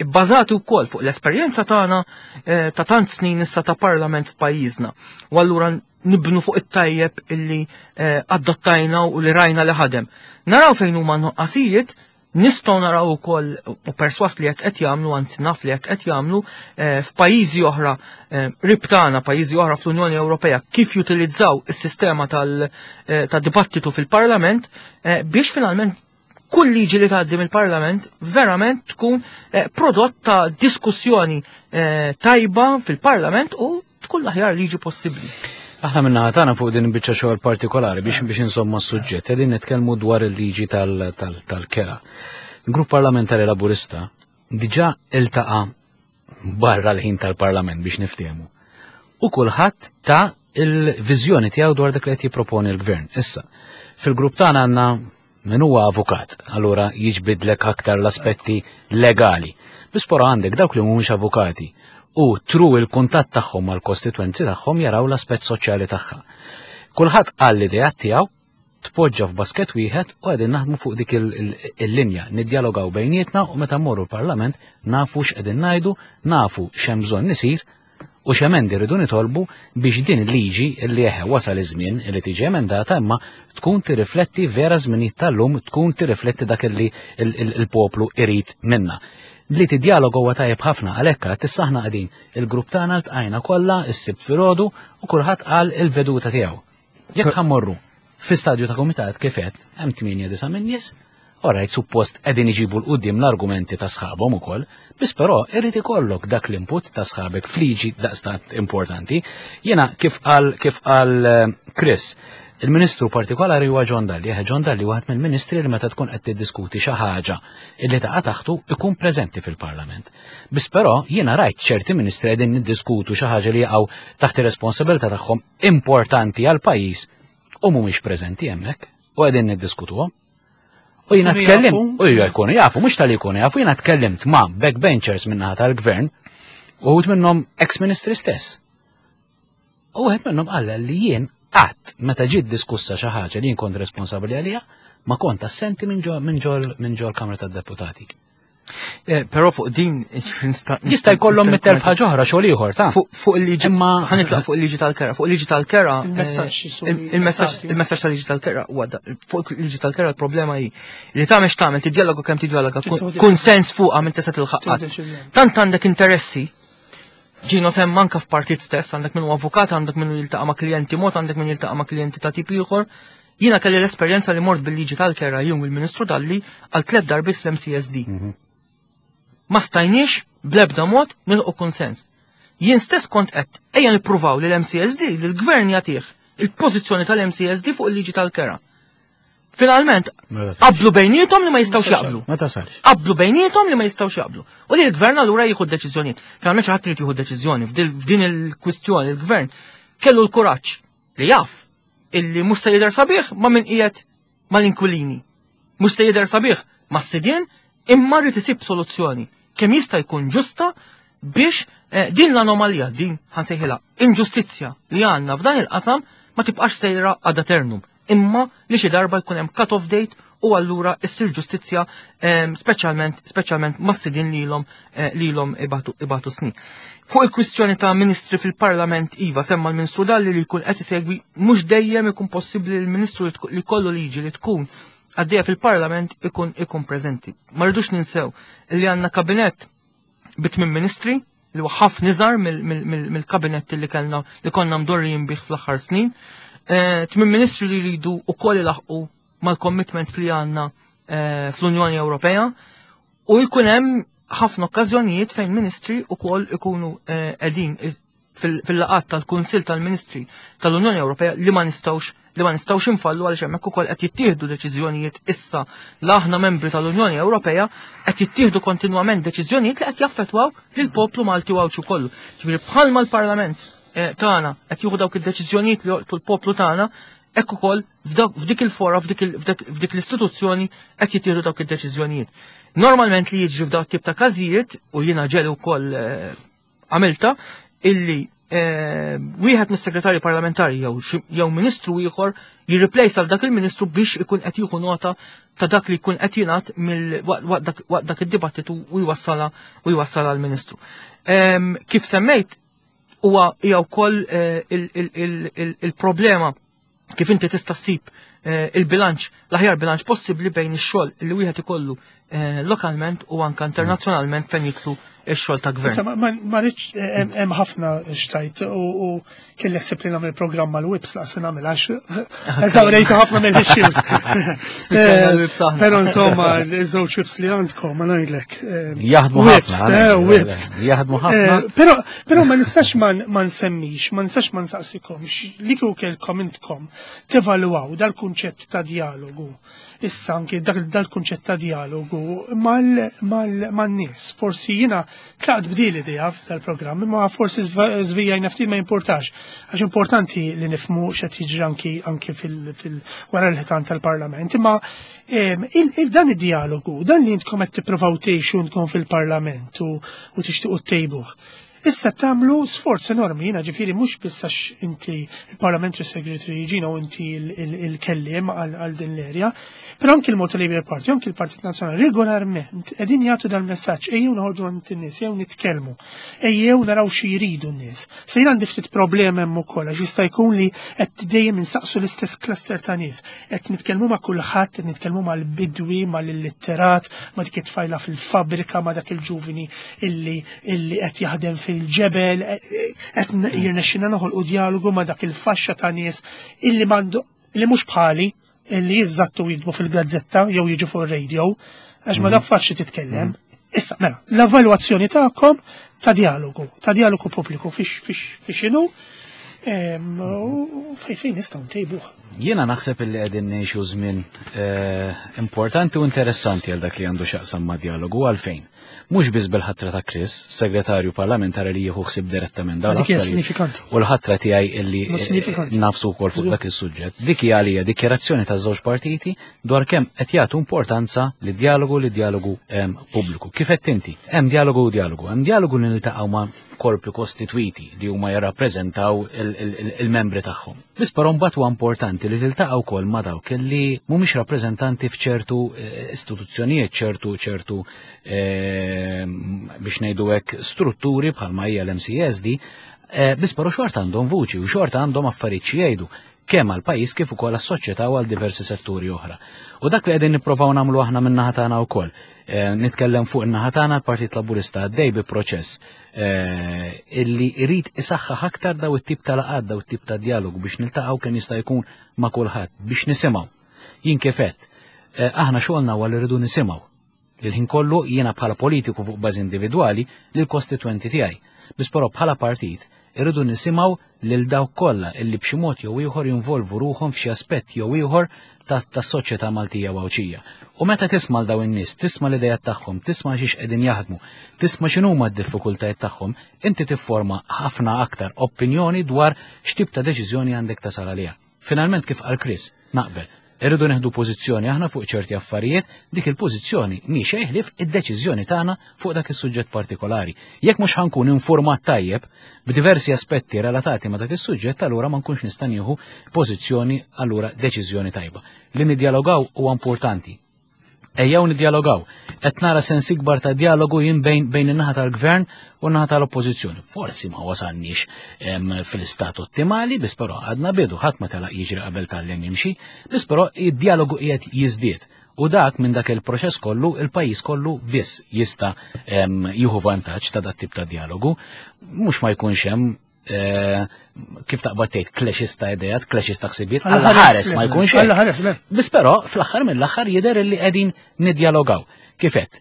ibbażati wkoll fuq l-esperjenza tagħna eh, ta' tant snin issa ta' parlament f'pajjiżna. U allura nibnu fuq it-tajjeb illi eh, adottajna u li rajna li ħadem. Naraw fejn huma nuqqasijiet, nistgħu naraw ukoll u perswas li jekk qed jagħmlu, anzi naf li jekk qed jagħmlu eh, f'pajjiżi oħra eh, qrib tagħna, pajjiżi oħra fl-Unjoni Ewropea kif jutilizzaw is-sistema tal- eh, tad-dibattitu fil-Parlament eh, biex finalment kull liġi li tgħaddi mill-Parlament verament tkun eh, prodott ta' diskussjoni eh, tajba fil-Parlament u tkun l-aħjar liġi possibbli. Aħna min-naħa tagħna fuq din biċċa xogħol partikolari biex biex insomma s-suġġett qegħdin nitkellmu dwar il-liġi tal- tal- tal-kera. Il-Grupp Parlamentari Laburista diġà iltaqa' barra l-ħin tal-Parlament biex niftehmu. U kulħadd ta il-viżjoni tiegħu dwar dak li qed jipproponi l-Gvern. Issa, fil-grupp tagħna għandna min huwa avukat, allura jiġbidlek aktar l-aspetti legali. Biss però għandek dawk li mhumiex avukati u through il-kuntatt tagħhom mal-kostitwenzi tagħhom jaraw l-aspett soċjali tagħha. Kulħadd qal l-idea tiegħu tpoġġa f'basket wieħed u qegħdin naħdmu fuq dik il- il- il-linja, niddjalogaw bejnietna u meta mmorru l-Parlament nafu x'qegħdin ngħidu, nafu x'hemm bżonn isir u x'emendi rridu nitolbu biex din il-liġi li eħe wasal iż-żmien li tiġi emendata imma tkun tirrifletti vera żminijiet tal-lum, tkun tirrifletti dak li il- il- il-poplu irid minna. Li tidjalogu huwa tajjeb ħafna għalhekk għad issa aħna qegħdin il-grupp tagħna ltqajna kollha is-Sibt filgħodu u kulħadd qal il-veduta tiegħu. Jekk ħa mmorru fi stadju ta' komitat kif qed hemm tmienja disa' minn nies, Alright, suppost qegħdin iġibu 'l quddiem l-argumenti ta' sħabhom ukoll, biss però irrid ikollok dak l-input ta' sħabek f'liġi daqstant importanti. Jiena kif qal kif qal eh, Chris, il-ministru partikolari huwa John Dalli, eh, John Dalli waħed mill-ministri li meta tkun qed tiddiskuti xi ħaġa illi taqa' taħtu ikun preżenti fil-Parlament. Biss però jiena rajt ċerti ministri qegħdin niddiskutu xi ħaġa li jaqgħu taħt ir-responsabilità tagħhom importanti għal pajjiż u mhumiex preżenti hemmhekk u qegħdin niddiskutuhom. U jiena Jkunu tkellimt, jafu. u jkunu jafu, mhux tal jkunu jafu, jiena tkellimt ma' backbenchers min-naħa tal-gvern u wħud minnhom ex-ministri stess. U wieħed minnhom qal li jien qatt meta ġiet diskussa xi ħaġa li jien kont responsabbli għaliha, ma kont assenti minn ġo minn ġol minn ġol Kamra tad-Deputati. Eh, Però fuq din nista' Jista' jkollhom nista' mitt elf ħaġa oħra xogħol ieħor ta' Fuq fuq il-liġi Imma- ħa nitlaq fuq il-liġi tal-kera, fuq il-liġi tal-kera. Il-messaġġ eh, jisu il- Il-messaġġ tagħti. il-messaġġ tal-liġi tal-kera huwa da- fuq il-liġi tal-kera l-problema hi li tagħmel x'tagħmel tiddialogu kemm tiddialoga Trid konsens fuqha minn tista' tilħaq Tieħu deċiżjoni. Tant għandek interessi Ġino sem anka f'partit stess, għandek minnu avukat, għandek minnu jiltaqa' ma' klijenti mod, għandek min jiltaqa' ma' klijenti ta' tip ieħor. Jiena kelli l-esperjenza li mort bil-liġi tal-kera jum il-Ministru Dalli għal tliet darbiet fl-M C S D. Ma stajniex bl-ebda mod nilħqu konsens. Jien stess kont qed ejja nippruvaw li l-M C S D li l-gvern jagħtih il-pożizzjoni tal-M C S D fuq il-liġi tal-kera. Finalment, qablu bejniethom li ma jistgħux jaqblu. Ma tasalx. Qablu bejniethom li ma jistgħux jaqblu. U li l-gvern allura jieħu deċiżjonijiet. Finalment xi ħadd irid jieħu deċiżjoni f'din il-kwistjoni il-gvern kellu l-kuraġġ li jaf illi mhux se jidher sabiħ ma' min qiegħed mal-inkwilini. Mhux se jidher sabiħ mas-sidien imma rrid isib soluzzjoni kemm jista' jkun ġusta biex eh, din l-anomalija, din ħa nsejħilha inġustizzja li għandna f'dan il-qasam ma tibqax sejra ad eternum, imma li xi darba jkun hemm cut-off date u allura issir ġustizzja eh, speċjalment speċjalment mas-sidien lilhom eh, lilhom ibatu, ibatu snin. Fuq il-kwistjoni ta' ministri fil-Parlament, iva, semma l-Ministru Dalli li jkun qed isegwi, mhux dejjem ikun possibbli l-Ministru li tku- li kollu liġi li tkun għaddejja fil-Parlament ikun ikun preżenti. Ma rridux ninsew li għandna kabinett bi tmien ministri li huwa ħafna iżgħar mill-kabinett li kellna li konna mdorrijin bih fl-aħħar snin. Eh, Tmien ministri li jridu ukoll ilaħqu mal-commitments li għandna eh, fl-Unjoni Ewropea u jkun hemm ħafna okkażjonijiet fejn ministri ukoll ikunu eh, qegħdin fil-laqat tal-Kunsill tal-Ministri tal-Unjoni Ewropea li ma nistgħux li ma nistgħux infallu għaliex hemmhekk ukoll qed jittieħdu deċiżjonijiet issa la aħna membri tal-Unjoni Ewropea qed jittieħdu kontinwament deċiżjonijiet li qed jaffettwaw lill-poplu Malti u Għawdxi kollu. Ġifieri bħalma l-Parlament eh, tagħna qed jieħu dawk id-deċiżjonijiet li jolqtu l-poplu tagħna, hekk ukoll f'dik il-fora, f'dik l-istituzzjoni qed jittieħdu dawk id-deċiżjonijiet. Normalment li jiġri f'dawn tip ta' każijiet, u jiena ġelu wkoll eh, għamilta, illi eh, wieħed mis-segretarju parlamentari jew jew ministru ieħor jirreplace għal dak il-ministru biex ikun qed jieħu nota ta' dak li jkun qed jingħad waqt dak id-dibattitu u jwassala u jwassala l-ministru. Kif semmejt, huwa hija wkoll eh, il-problema kif inti tista' ssib il-bilanċ, l-aħjar bilanċ possibbli bejn ix-xogħol li wieħed ikollu eh, lokalment u anka internazzjonalment fejn jidħlu x-xogħol ta' gvern. Ma rridx hemm ħafna xtajt u kelli ħsieb li nagħmel programm mal-whips laqs nagħmel għax eżawrejtu ħafna mill-issues. Però insomma, iż-żewġ whips li għandkom ma ngħidlek. Jaħdmu ħafna. Whips. Jaħdmu ħafna. Però però ma nistax ma nsemmix, ma nistax ma nsaqsikomx li kieku kellkom intkom tevalwaw dal-kunċett ta' dialogu. Issa anke dal-kunċett ta' dialogu mal-nies. Forsi jiena tlaqt b'din l-idea dal-programm, imma forsi żvijajna ftit, ma importax. Għax importanti li nifhmu x'qed jiġri anki anki fil wara l-ħitan tal-Parlament. Imma dan id-dialogu, dan li intkom qed tippruvaw tgħixu intkom fil-Parlament u tixtiequ ttejbuh. Issa tagħmlu sforz enormi, jiena ġifieri mhux biss għax inti il-Parliamentary Secretary ġina u inti il-kelliem għal din l-area, però anki il-Malta Labour Party, anki il-Partit Nazzjonali regolarment qegħdin jagħtu dal-messaġġ: ejjew noħorġu għand in-nies, ejjew nitkellmu, ejjew naraw xi jridu n-nies. Se jien għandi ftit problemi hemm ukoll għax jista' jkun li qed dejjem insaqsu l-istess cluster ta' nies, qed nitkellmu ma' kulħadd, qed nitkellmu mal-bidwi, mal-illitterat, ma' dik it-tfajla fil-fabbrika, ma' dak il-ġuvini illi illi qed jaħdem fil ġebel, qed jirnexxina noħolqu dialogu ma' dak il-faxxa ta' nies illi m'għandu illi mhux bħali illi jiżżattu jidbu fil-gazzetta jew jiġu fuq ir-radio, għax ma dak faċli titkellem. Issa, mela, l-evalwazzjoni tagħkom ta' dialogu, ta' dialogu pubbliku fix fix x'inhu u fejn fejn nistgħu ntejbuh. Jiena naħseb illi qegħdin ngħixu żmien importanti u interessanti għal dak li għandu x'jaqsam ma' dialogu. Għalfejn? Mhux biss bil-ħatra ta' Chris, segretarju parlamentari li jieħu ħsieb direttament dawn Dik hija sinifikanti. U l-ħatra tiegħi illi Sinifikanti. nafsu wkoll fuq dak is-suġġett. Dik hija għalija dikjarazzjoni ta' żewġ partiti dwar kemm qed jagħtu importanza li dialogu li dialogu pubbliku. Kif qed inti? Hemm dialogu u dialogu. Hemm dialogu li niltaqgħu ma' korpi kostitwiti li huma jirrappreżentaw il-membri tagħhom. Biss però mbagħad huwa importanti li tiltaqgħu wkoll ma' dawk li mhumiex rappreżentanti f'ċertu istituzzjonijiet, ċertu ċertu biex ngħidu hekk strutturi bħalma hija l-M C S D, biss però xorta għandhom vuċi u xorta għandhom affarijiet xi jgħidu kemm għal pajjiż kif ukoll għas-soċjetà u għal diversi setturi oħra. U dak li qegħdin nipprovaw nagħmlu aħna min-naħa tagħna wkoll. Nitkellem fuq in-naħa tagħna, l-Partit Laburista għaddej bi proċess illi jrid isaħħaħ aktar daw it-tip ta' laqgħat, daw it-tip ta' dialogu biex niltaqgħu kemm jista' jkun ma' kulħadd biex nisimgħu. Jien kif għedt, aħna xogħolna huwa li rridu nisimgħu. Il-ħin kollu jiena bħala politiku fuq bażi individwali lill-kostitwenti tiegħi. Biss però bħala partit irridu nisimgħu lil dawk kollha illi b'xi mod jew ieħor jinvolvu ruħhom f'xi aspett jew ieħor tas-soċjetà Maltija u Għawdxija. U meta tisma' l daw in-nies, tisma' l-idejat tagħhom, tisma' xiex qegħdin jaħdmu, tisma' x'inhuma d-diffikultajiet tagħhom, inti tifforma ħafna aktar opinjoni dwar x'tip ta' deċiżjoni għandek tasal għaliha. Finalment, kif qal Chris, naqbel, irridu neħdu pożizzjoni aħna fuq ċerti affarijiet, dik il-pożizzjoni mhi xejn ħlief id-deċiżjoni tagħna fuq dak is-suġġett partikolari. Jekk mhux ħankun informat tajjeb b'diversi aspetti relatati ma' dak is-suġġett, allura ma nkunx nista' nieħu pożizzjoni, allura deċiżjoni tajba. Li niddialogaw huwa importanti. Ejjew niddialogaw. Qed nara sens ikbar ta' dialogu jien bejn bejn in-naħa tal-gvern u n-naħa tal-oppożizzjoni. Forsi ma wasalniex fil-istat ottimali, biss però għadna bidu, ħadd ma telaq jiġri qabel tgħallem jimxi, biss però id-dialogu qiegħed jiżdied. U dak minn dak il-proċess kollu, il-pajjiż kollu biss jista' jieħu vantaġġ ta' dat tip ta' dialogu. Mhux ma jkunx hemm, kif taqbad tgħid, clashes ta' idejat, clashes ta' ħsibijiet, Alla alla ħares ma jkunx Alla hekk. ħares le. Biss però fl-aħħar mill-aħħar jidher li qegħdin niddialogaw. Kif qed?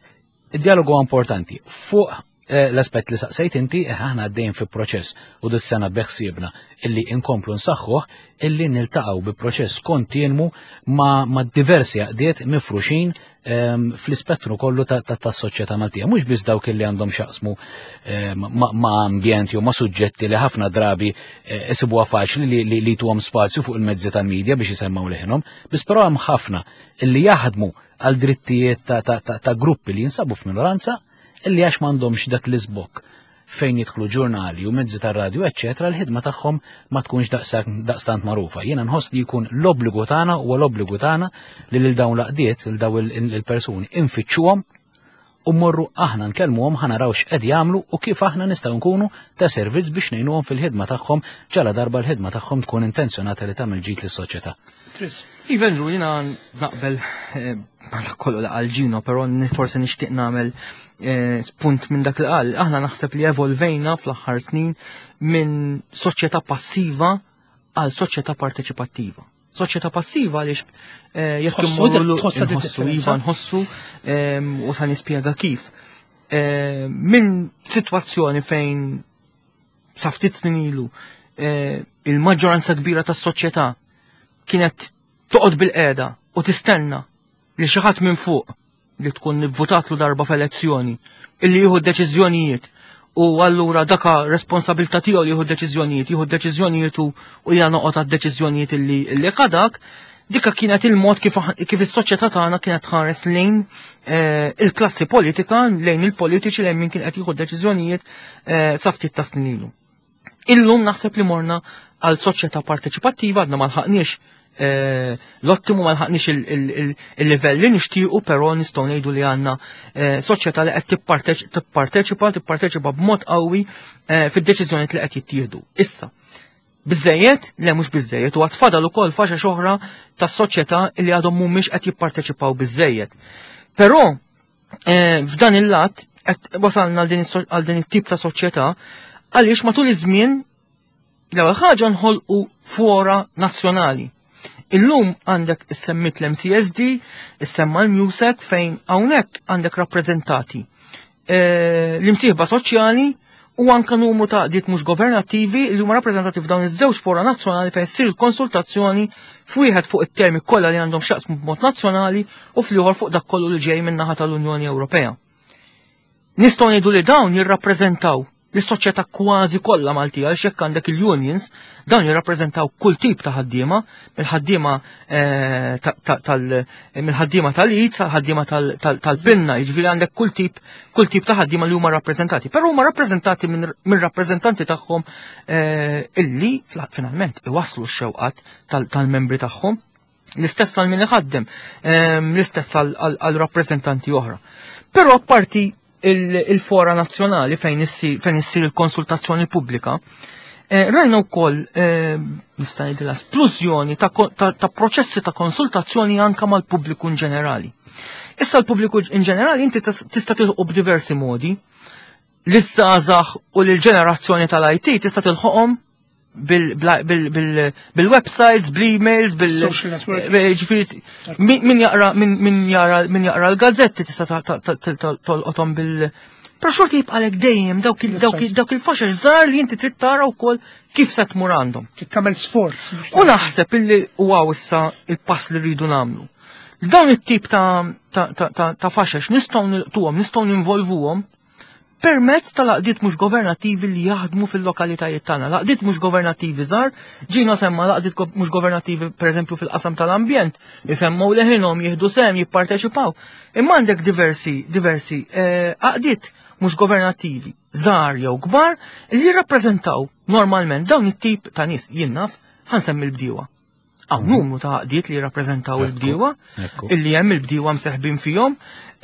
Id-dialogu huwa importanti fuq Eh, l-aspett li saqsejt inti, eh, aħna għaddejn fi proċess u dis-sena beħsiebna illi inkomplu nsaħħuh, illi niltaqgħu bi proċess kontinwu ma', ma diversi għaqdiet mifruxin ehm, fl-ispettru kollu tas-soċjetà Maltija. Mhux biss dawk illi għandhom x'jaqsmu ehm, ma' ambjent jew ma' suġġetti li ħafna drabi eh, isibuha faċli li, li, li tuhom spazju fuq il-mezzi tal-medja biex jisemmaw leħinhom, biss però hemm ħafna illi jaħdmu għal drittijiet ta', ta, ta, ta gruppi li jinsabu f'minoranza, illi għax m'għandhomx dak l-iżbokk fejn jidħlu ġurnali u mezzi tar-radju, eċċetera, l-ħidma tagħhom ma tkunx daqstant magħrufa. Jiena nħoss li jkun l-obbligu tagħna, huwa l-obbligu tagħna li lil dawn l-għaqdiet, lil dawn il-persuni infittxuhom u mmorru aħna nkellmuhom, ħa naraw x'qed jagħmlu u kif aħna nistgħu nkunu ta' servizz biex ngħinuhom fil-ħidma tagħhom, ġala darba l-ħidma tagħhom tkun intenzjonata li tagħmel ġid lis-soċjetà. Chris. Iva, Andrew, jiena naqbel eh, ma kollu li qal Gino, però forsi nixtieq nagħmel eh, spunt minn dak li qal. Aħna naħseb li evolvejna fl-aħħar snin minn soċjetà passiva għal soċjetà parteċipattiva. Soċjetà passiva għaliex eh, jekk immorru nħossu, iva nħossu, ehm, u sa nispjega kif. Minn sitwazzjoni fejn sa ftit snin ilu il-maġġoranza kbira tas-soċjetà kienet toqgħod bil-qiegħda u tistenna li xi ħadd minn fuq li tkun votatlu darba f'elezzjoni illi jieħu deċiżjonijiet, u allura daka responsabilità tiegħu li jieħu deċiżjonijiet, jieħu deċiżjonijiet u jiena noqgħod għad-deċiżjonijiet illi illi ħadak, dika kienet il-mod kif, kif is-soċjetà tagħna kienet tħares lejn eh, il-klassi politika, lejn il-politiċi, lejn min kien qed jieħu deċiżjonijiet eh, sa ftit ta' snin ilu. Illum naħseb li morna għal soċjetà parteċipattiva, għadna ma lħaqniex eh, l-ottimu, ma lħaqniex il-livell li nixtiequ, però nistgħu ngħidu li għandna eh, soċjetà li qed tipparteċipa, tipparteċipa b'mod qawwi eh, fid-deċiżjonijiet li qed jittieħdu. Issa, biżejjed? Le, mhux biżejjed, u għad fadal ukoll faxxa oħra tas-soċjetà li għadhom mhumiex qed jipparteċipaw biżejjed. Però f'dan il-lat qed wasalna għal din it-tip ta' soċjetà għaliex matul iż-żmien l-ewwel ħaġa nħolqu fora nazzjonali. Illum għandek issemmit l-M C S D, issemma l-MUSEC, fejn hawnhekk għandek rappreżentati eh, l-imsieħba soċjali u anka numru ta' għaqdiet mhux governattivi li huma rappreżentati f'dawn iż-żewġ fora nazzjonali fejn ssir il-konsultazzjoni, f'wieħed fuq it-temi kollha li għandhom x'jaqsmu b'mod nazzjonali u fl-ieħor fuq dak kollu li ġej min-naħa tal-Unjoni Ewropea. Nistgħu ngħidu li dawn jirrappreżentaw l-soċjetà kważi kollha Maltija, għal jekk għandek il-unions, dawn jirrappreżentaw kull tip ta' ħaddiema, mill-ħaddiema eh, tal mill-ħaddiema tal-id sa ħaddiema tal-pinna, jiġifieri għandek kull tip kull tip ta' ħaddiema li huma rappreżentati. Però huma rappreżentati minn rappreżentanti tagħhom eh, illi finalment iwaslu x-xewqat tal-membri tagħhom. L-istess għal min iħaddem, ehm, l-istess għal rappreżentanti oħra. Però apparti il-fora nazzjonali fejn issir il-konsultazzjoni pubblika, eh, rajna wkoll eh, nista' ngħidilha splużjoni ta' proċessi ta' konsultazzjoni anka mal-pubbliku in ġenerali. Issa l-pubbliku in ġenerali inti tista' tilħu b'diversi modi. L-żgħażagħ u l-ġenerazzjoni tal-I T tista' tilħoqhom bil-websites, bil-emails, bil ġifieri min jaqra min jaqra min jaqra l-gazzetti tista' tolqothom bil Però xorta jibqalek dejjem dawk il-faxex żgħar li inti trid tara wkoll kif se tmur għandhom. Tagħmel sforz. U naħseb illi huwa issa il-pass li rridu nagħmlu. Dawn it-tip ta' faxex nistgħu nilqtuhom, nistgħu ninvolvuhom permezz tal-għaqdiet mhux governattivi li jaħdmu fil-lokalitajiet tagħna. L-għaqdiet mhux governattivi żgħar, ġina semma l-għaqdiet mhux governattivi pereżempju fil-qasam tal-ambjent, jisemmaw leħinhom, jieħdu sehem, jipparteċipaw. Imma għandek diversi diversi eh, għaqdiet mhux governattivi, żgħar jew kbar, li jirrappreżentaw normalment dawn it-tip ta' nies. Jien naf, ħa nsemmi l-bdiewa. Hawn numru ta' għaqdiet li jirrappreżentaw il-bdiewa, illi hemm il-bdiewa mseħbin fihom.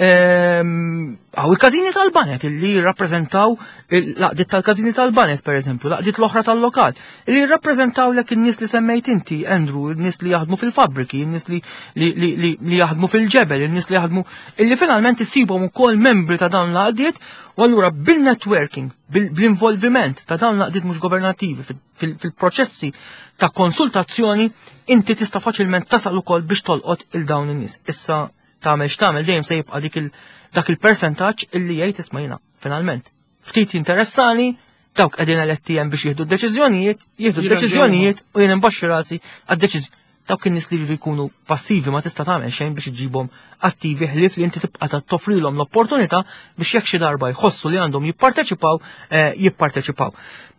Ehm, hawn il-każini tal-baned illi jirrappreżentaw l-għaqdiet tal-każini tal-baned, per eżempju, l-għaqdiet l-oħra tal-lokal, illi jirrappreżentaw lek in-nies li semmejt inti, Andrew, in-nies li jaħdmu fil-fabriki, in-nies li, li, li, li, li jaħdmu fil-ġebel, in-nies li jaħdmu, illi finalment issibhom ukoll membri ta' dawn l-għaqdiet, u allura bil-networking, bil-involviment ta' dawn l-għaqdiet mhux governattivi fil-proċessi ta' konsultazzjoni, inti tista' faċilment tasal ukoll biex tolqot il dawn in-nies. Issa tagħmel x'tagħmel, dejjem se jibqa' dik il dak il-percentaġġ illi jgħid, "Isma', jiena finalment Ftit interessani, dawk qegħdin eletti hemm biex jieħdu d-deċiżjonijiet, jieħdu d-deċiżjonijiet u jien imbaxxi rasi għad-deċiżjoni. Dawk in-nies li jridu jkunu passivi ma tista' tagħmel xejn biex iġibhom attivi ħlief li inti tibqa' toffrilhom l-opportunità biex jekk xi darba jħossu li għandhom jipparteċipaw, eh, jipparteċipaw.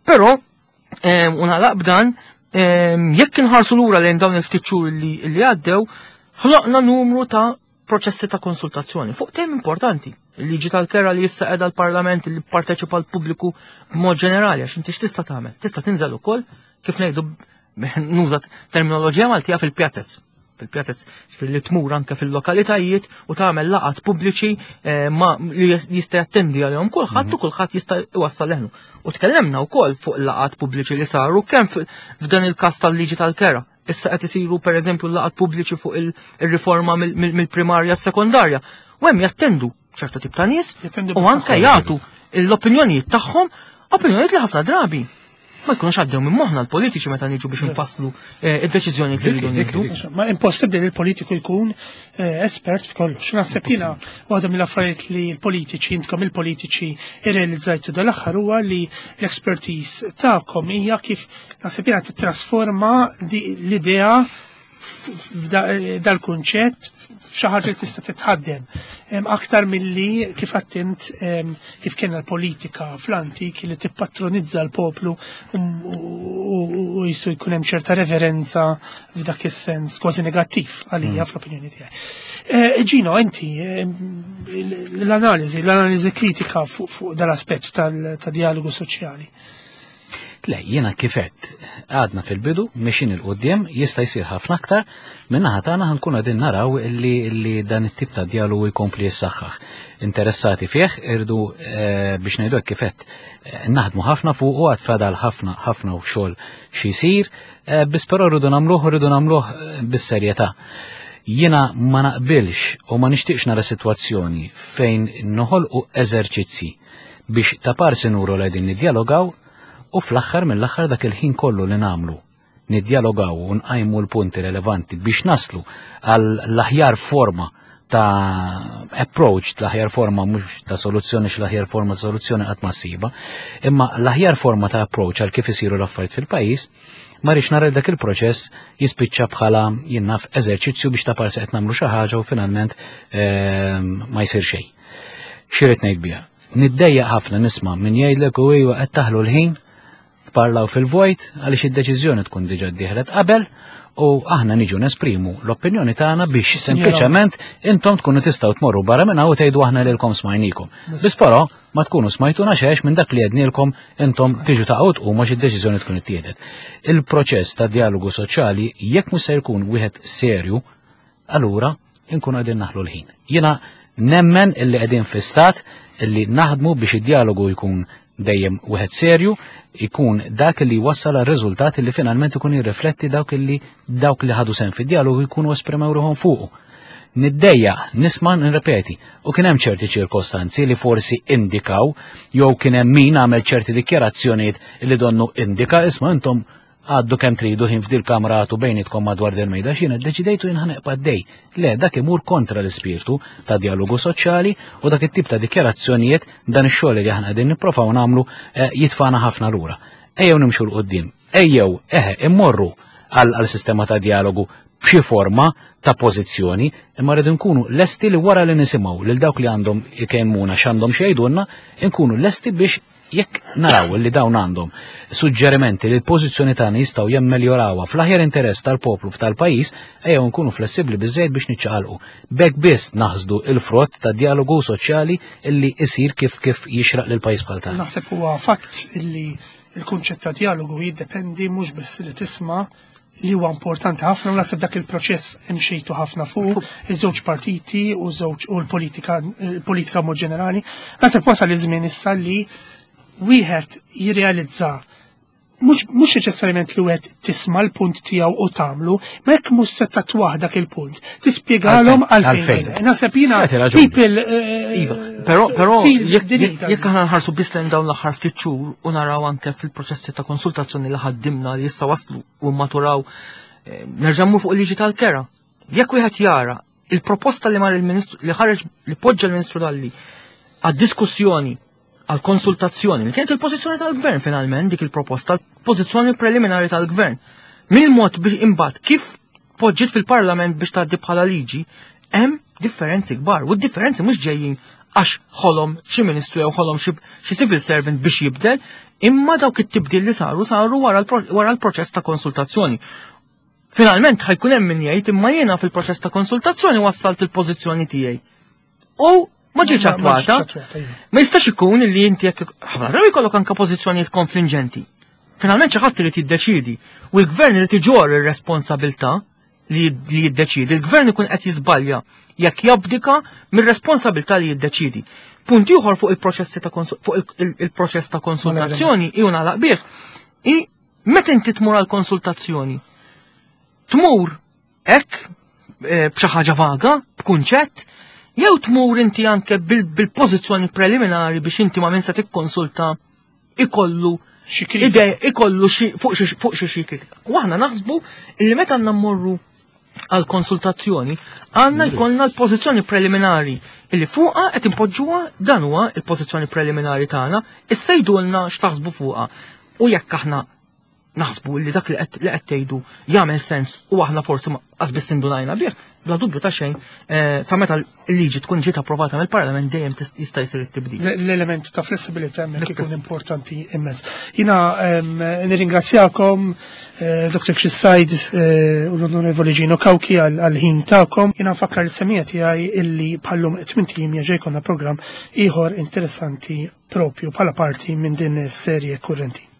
Però u nagħlaq b'dan, jekk inħarsu lura lejn dawn il-ftit xhur li għaddew, ħloqna numru ta' proċessi ta' konsultazzjoni fuq temi importanti. Il-liġi tal-kera li issa qiegħda l-Parlament li parteċipa l-pubbliku b'mod ġenerali, għax inti x'tista' tagħmel? Tista' tinżel ukoll kif ngħidu nuża terminoloġija Maltija fil-pjazzez. Fil-pjazzez li tmur anke fil-lokalitajiet u tagħmel laqat pubbliċi ma li jista' jattendi għalihom kulħadd u kulħadd jista' iwassal leħnu. U tkellemna wkoll fuq laqat pubbliċi li saru kemm f'dan il-każ tal-liġi tal-kera. Issa qed isiru pereżempju laqat pubbliċi fuq il-riforma mill-primarja s-sekondarja. U hemm jattendu ċertu tip ta' nies u anke jagħtu l-opinjonijiet tagħhom, opinjonijiet li ħafna drabi ma jkunux għaddew minn moħħna l-politiċi meta niġu biex nfasslu id-deċiżjoni li rridu nieħdu. Ma impossibbli li l-politiku jkun espert f'kollox. Naħseb jiena waħda mill-affarijiet li l-politiċi, intkom il-politiċi irrealizzajtu dal-aħħar huwa li l-expertise tagħkom hija kif naħseb jiena titrasforma l-idea dal-kunċett f'xi ħaġa li tista' titħaddem. Aktar milli kif attint kif kien l-politika fl-antik li tippatronizza l-poplu u jisu jkun hemm ċerta reverenza f'dak is-sens kważi negattiv għalija fl-opinjoni tiegħi. Gino, inti l-analiżi, l-analiżi kritika fuq dal-aspett tal-dialogu soċjali. Le, jiena kifet, għadna fil-bidu, mexin il-qoddim, jista' jsir ħafna aktar, minnaħa tagħna ħankun qegħdin naraw illi, illi dan it-tip ta' dialogu jkompli jissaħħaħ. Interessati fih, irdu eh, biex ngħidu hekk kifet, eh, naħdmu ħafna fuq u għad fadal ħafna ħafna u xogħol xi jsir, eh, biss però rridu nagħmluh rridu nagħmluh bis-serjetà. Jiena ma naqbilx u ma nixtieqx nara sitwazzjoni fejn noħolqu eżerċizzi biex ta' parsi nuru li qegħdin niddialogaw u fl-aħħar mill-aħħar dak il-ħin kollu li nagħmlu niddialogaw u nqajmu l-punti relevanti biex naslu għal l-aħjar forma ta' approach, l-aħjar forma mhux ta' soluzzjoni, x l-aħjar forma ta' soluzzjoni qatt ma ssiba, imma l-aħjar forma ta' approach għal kif isiru l-affarijiet fil-pajjiż, ma rridx nara dak il-proċess jispiċċa bħala jinnaf eżerċizzju biex ta' parsi qed nagħmlu xi ħaġa u finalment ma jsir xejn. X'irid ngħid biha? Niddejjaq ħafna nisma' min jgħidlek u iva qed taħlu l-ħin tparlaw fil-vojt għaliex id-deċiżjoni tkun diġà ddieħlet qabel u aħna niġu nesprimu l-opinjoni tagħna biex sempliċement intom tkunu tistgħu tmorru barra minn hawn u tgħidu aħna lilkom smajnikom. Biss però ma tkunu smajtuna xejn minn dak li għednielkom intom tiġu taqgħu tqumu għax id-deċiżjoni tkun ittieħdet. Il-proċess ta' dialogu soċjali jekk mhux se jkun wieħed serju, allura nkunu qegħdin naħlu l-ħin. Jiena nemmen illi qegħdin fi stat illi naħdmu biex id-dialogu jkun dejjem wieħed serju, ikun dak li wassal għal riżultati li finalment ikun jirrifletti dawk li dawk li ħadu sen fid-dialogu jkunu esprimew ruħhom fuqu. Niddejja nisma' nirrepeti, u kien hemm ċerti ċirkostanzi li forsi indikaw jew kien hemm min għamel ċerti dikjarazzjonijiet li donnu indika isma' intom għaddu kemm tridu ħin f'dil kamra għatu bejnietkom madwar del mejda x'jiena ddeċidejtu jien ħaneqpa' dej. Le, dak imur kontra l-ispirtu ta' dialogu soċjali u dak it-tip ta' dikjarazzjonijiet dan ix-xogħol li aħna qegħdin nipprovaw nagħmlu jitfana ħafna lura. Ejjew nimxu 'l quddiem, ejjew eħe immorru għal sistema ta' dialogu b'xi forma ta' pożizzjoni, imma rridu nkunu lesti li wara li nisimgħu lil dawk li għandhom ikemmuna x'għandhom xi jgħidulna, nkunu lesti biex jekk naraw li dawn għandhom suġġerimenti li l-pożizzjoni tagħna jistgħu jemmeljorawha fl-aħjar interess tal-poplu f'tal-pajjiż, ejjew nkunu flessibbli biżejjed biex niċċaqalqu. B'hekk biss naħsdu il-frott ta' dialogu soċjali illi isir kif kif jixraq lil pajjiż bħal tagħna. Naħseb huwa fatt illi il-kunċett ta' dialogu jiddependi mhux biss li tisma' li huwa importanti ħafna u naħseb dak il-proċess imxejtu ħafna fuq iż-żewġ partiti u żewġ u l-politika il-politika mod ġenerali. Naħseb wasal iż-żmien issa li wieħed jirrealizza mhux mhux neċessarjament li wieħed tisma' l-punt tiegħu u tagħmlu, ma jekk mhux se tatwah dak il-punt, tispjegalhom għalfejn. Naħseb jiena people Iva, però però jekk jekk aħna nħarsu biss lejn dawn l-aħħar ftit xhur u naraw anke fil-proċessi ta' konsultazzjoni li ħaddimna li issa waslu u maturaw, nerġa' mmur fuq il-liġi tal-kera. Jekk wieħed jara il-proposta li mar il-Ministru li ħareġ li poġġa l-Ministru Dalli għad-diskussjoni għal konsultazzjoni, li kienet il-pożizzjoni tal-gvern finalment dik il-proposta, l-pożizzjoni preliminari tal-gvern. Mill-mod biex imbagħad kif poġġiet fil-Parlament biex tgħaddi bħala liġi, hemm differenzi kbar, u d-differenzi mhux ġejjin għax ħolom xi ministru jew ħolom xi civil servant biex jibdel, imma dawk it-tibdil li saru saru wara l-proċess ta' konsultazzjoni. Finalment ħa jkun hemm min jgħid imma jiena fil-proċess ta' konsultazzjoni wassalt il-pożizzjoni tiegħi. U ma ġietx attwata. Iva. Ma jistax ikun li inti jekk ħafna drabi jkollok anke pożizzjonijiet konfliġġenti. Finalment xi ħadd irid jiddeċidi u l-gvern irid iġorr ir-responsabilità li jiddeċidi. Il-gvern ikun qed jiżbalja jekk jabdika mir-responsabilità li jiddeċidi. Punt ieħor fuq il-proċessi ta' fuq il-proċess ta' konsultazzjoni iju nagħlaq bih. I meta inti tmur għal konsultazzjoni, tmur hekk eh, b'xi ħaġa vaga, b'kunċett, jew tmur inti anke bil-pożizzjoni preliminari biex inti ma' min se tikkonsulta ikollu idea ikollu fuq xi xi kritika. U aħna naħsbu li meta għandna mmorru għal konsultazzjoni għandna jkollna l-pożizzjoni preliminari illi fuqha qed impoġġuha dan huwa il-pożizzjoni preliminari tagħna, issa jgħidulna x'taħsbu fuqha. U jekk aħna naħsbu li dak li qed tgħidu jagħmel sens u aħna forsi qas biss indunajna bih, bla dubju ta' xejn, eh, sa meta l-liġi tkun ġiet approvata mill-Parlament dejjem jista' jsir it-tibdil. L-element ta' flessibilità hemmhekk ikun importanti immens. Jiena nirringrazzjakom eh, Dr. Chris Said eh, u l-Onorevoli Gino Cauchi għal-ħin tagħkom. Jiena nfakkar is-semija tiegħi illi bħallum tmint ijiem jerġa' jkollna programm ieħor interessanti propju bħala parti minn din is-serje kurrenti.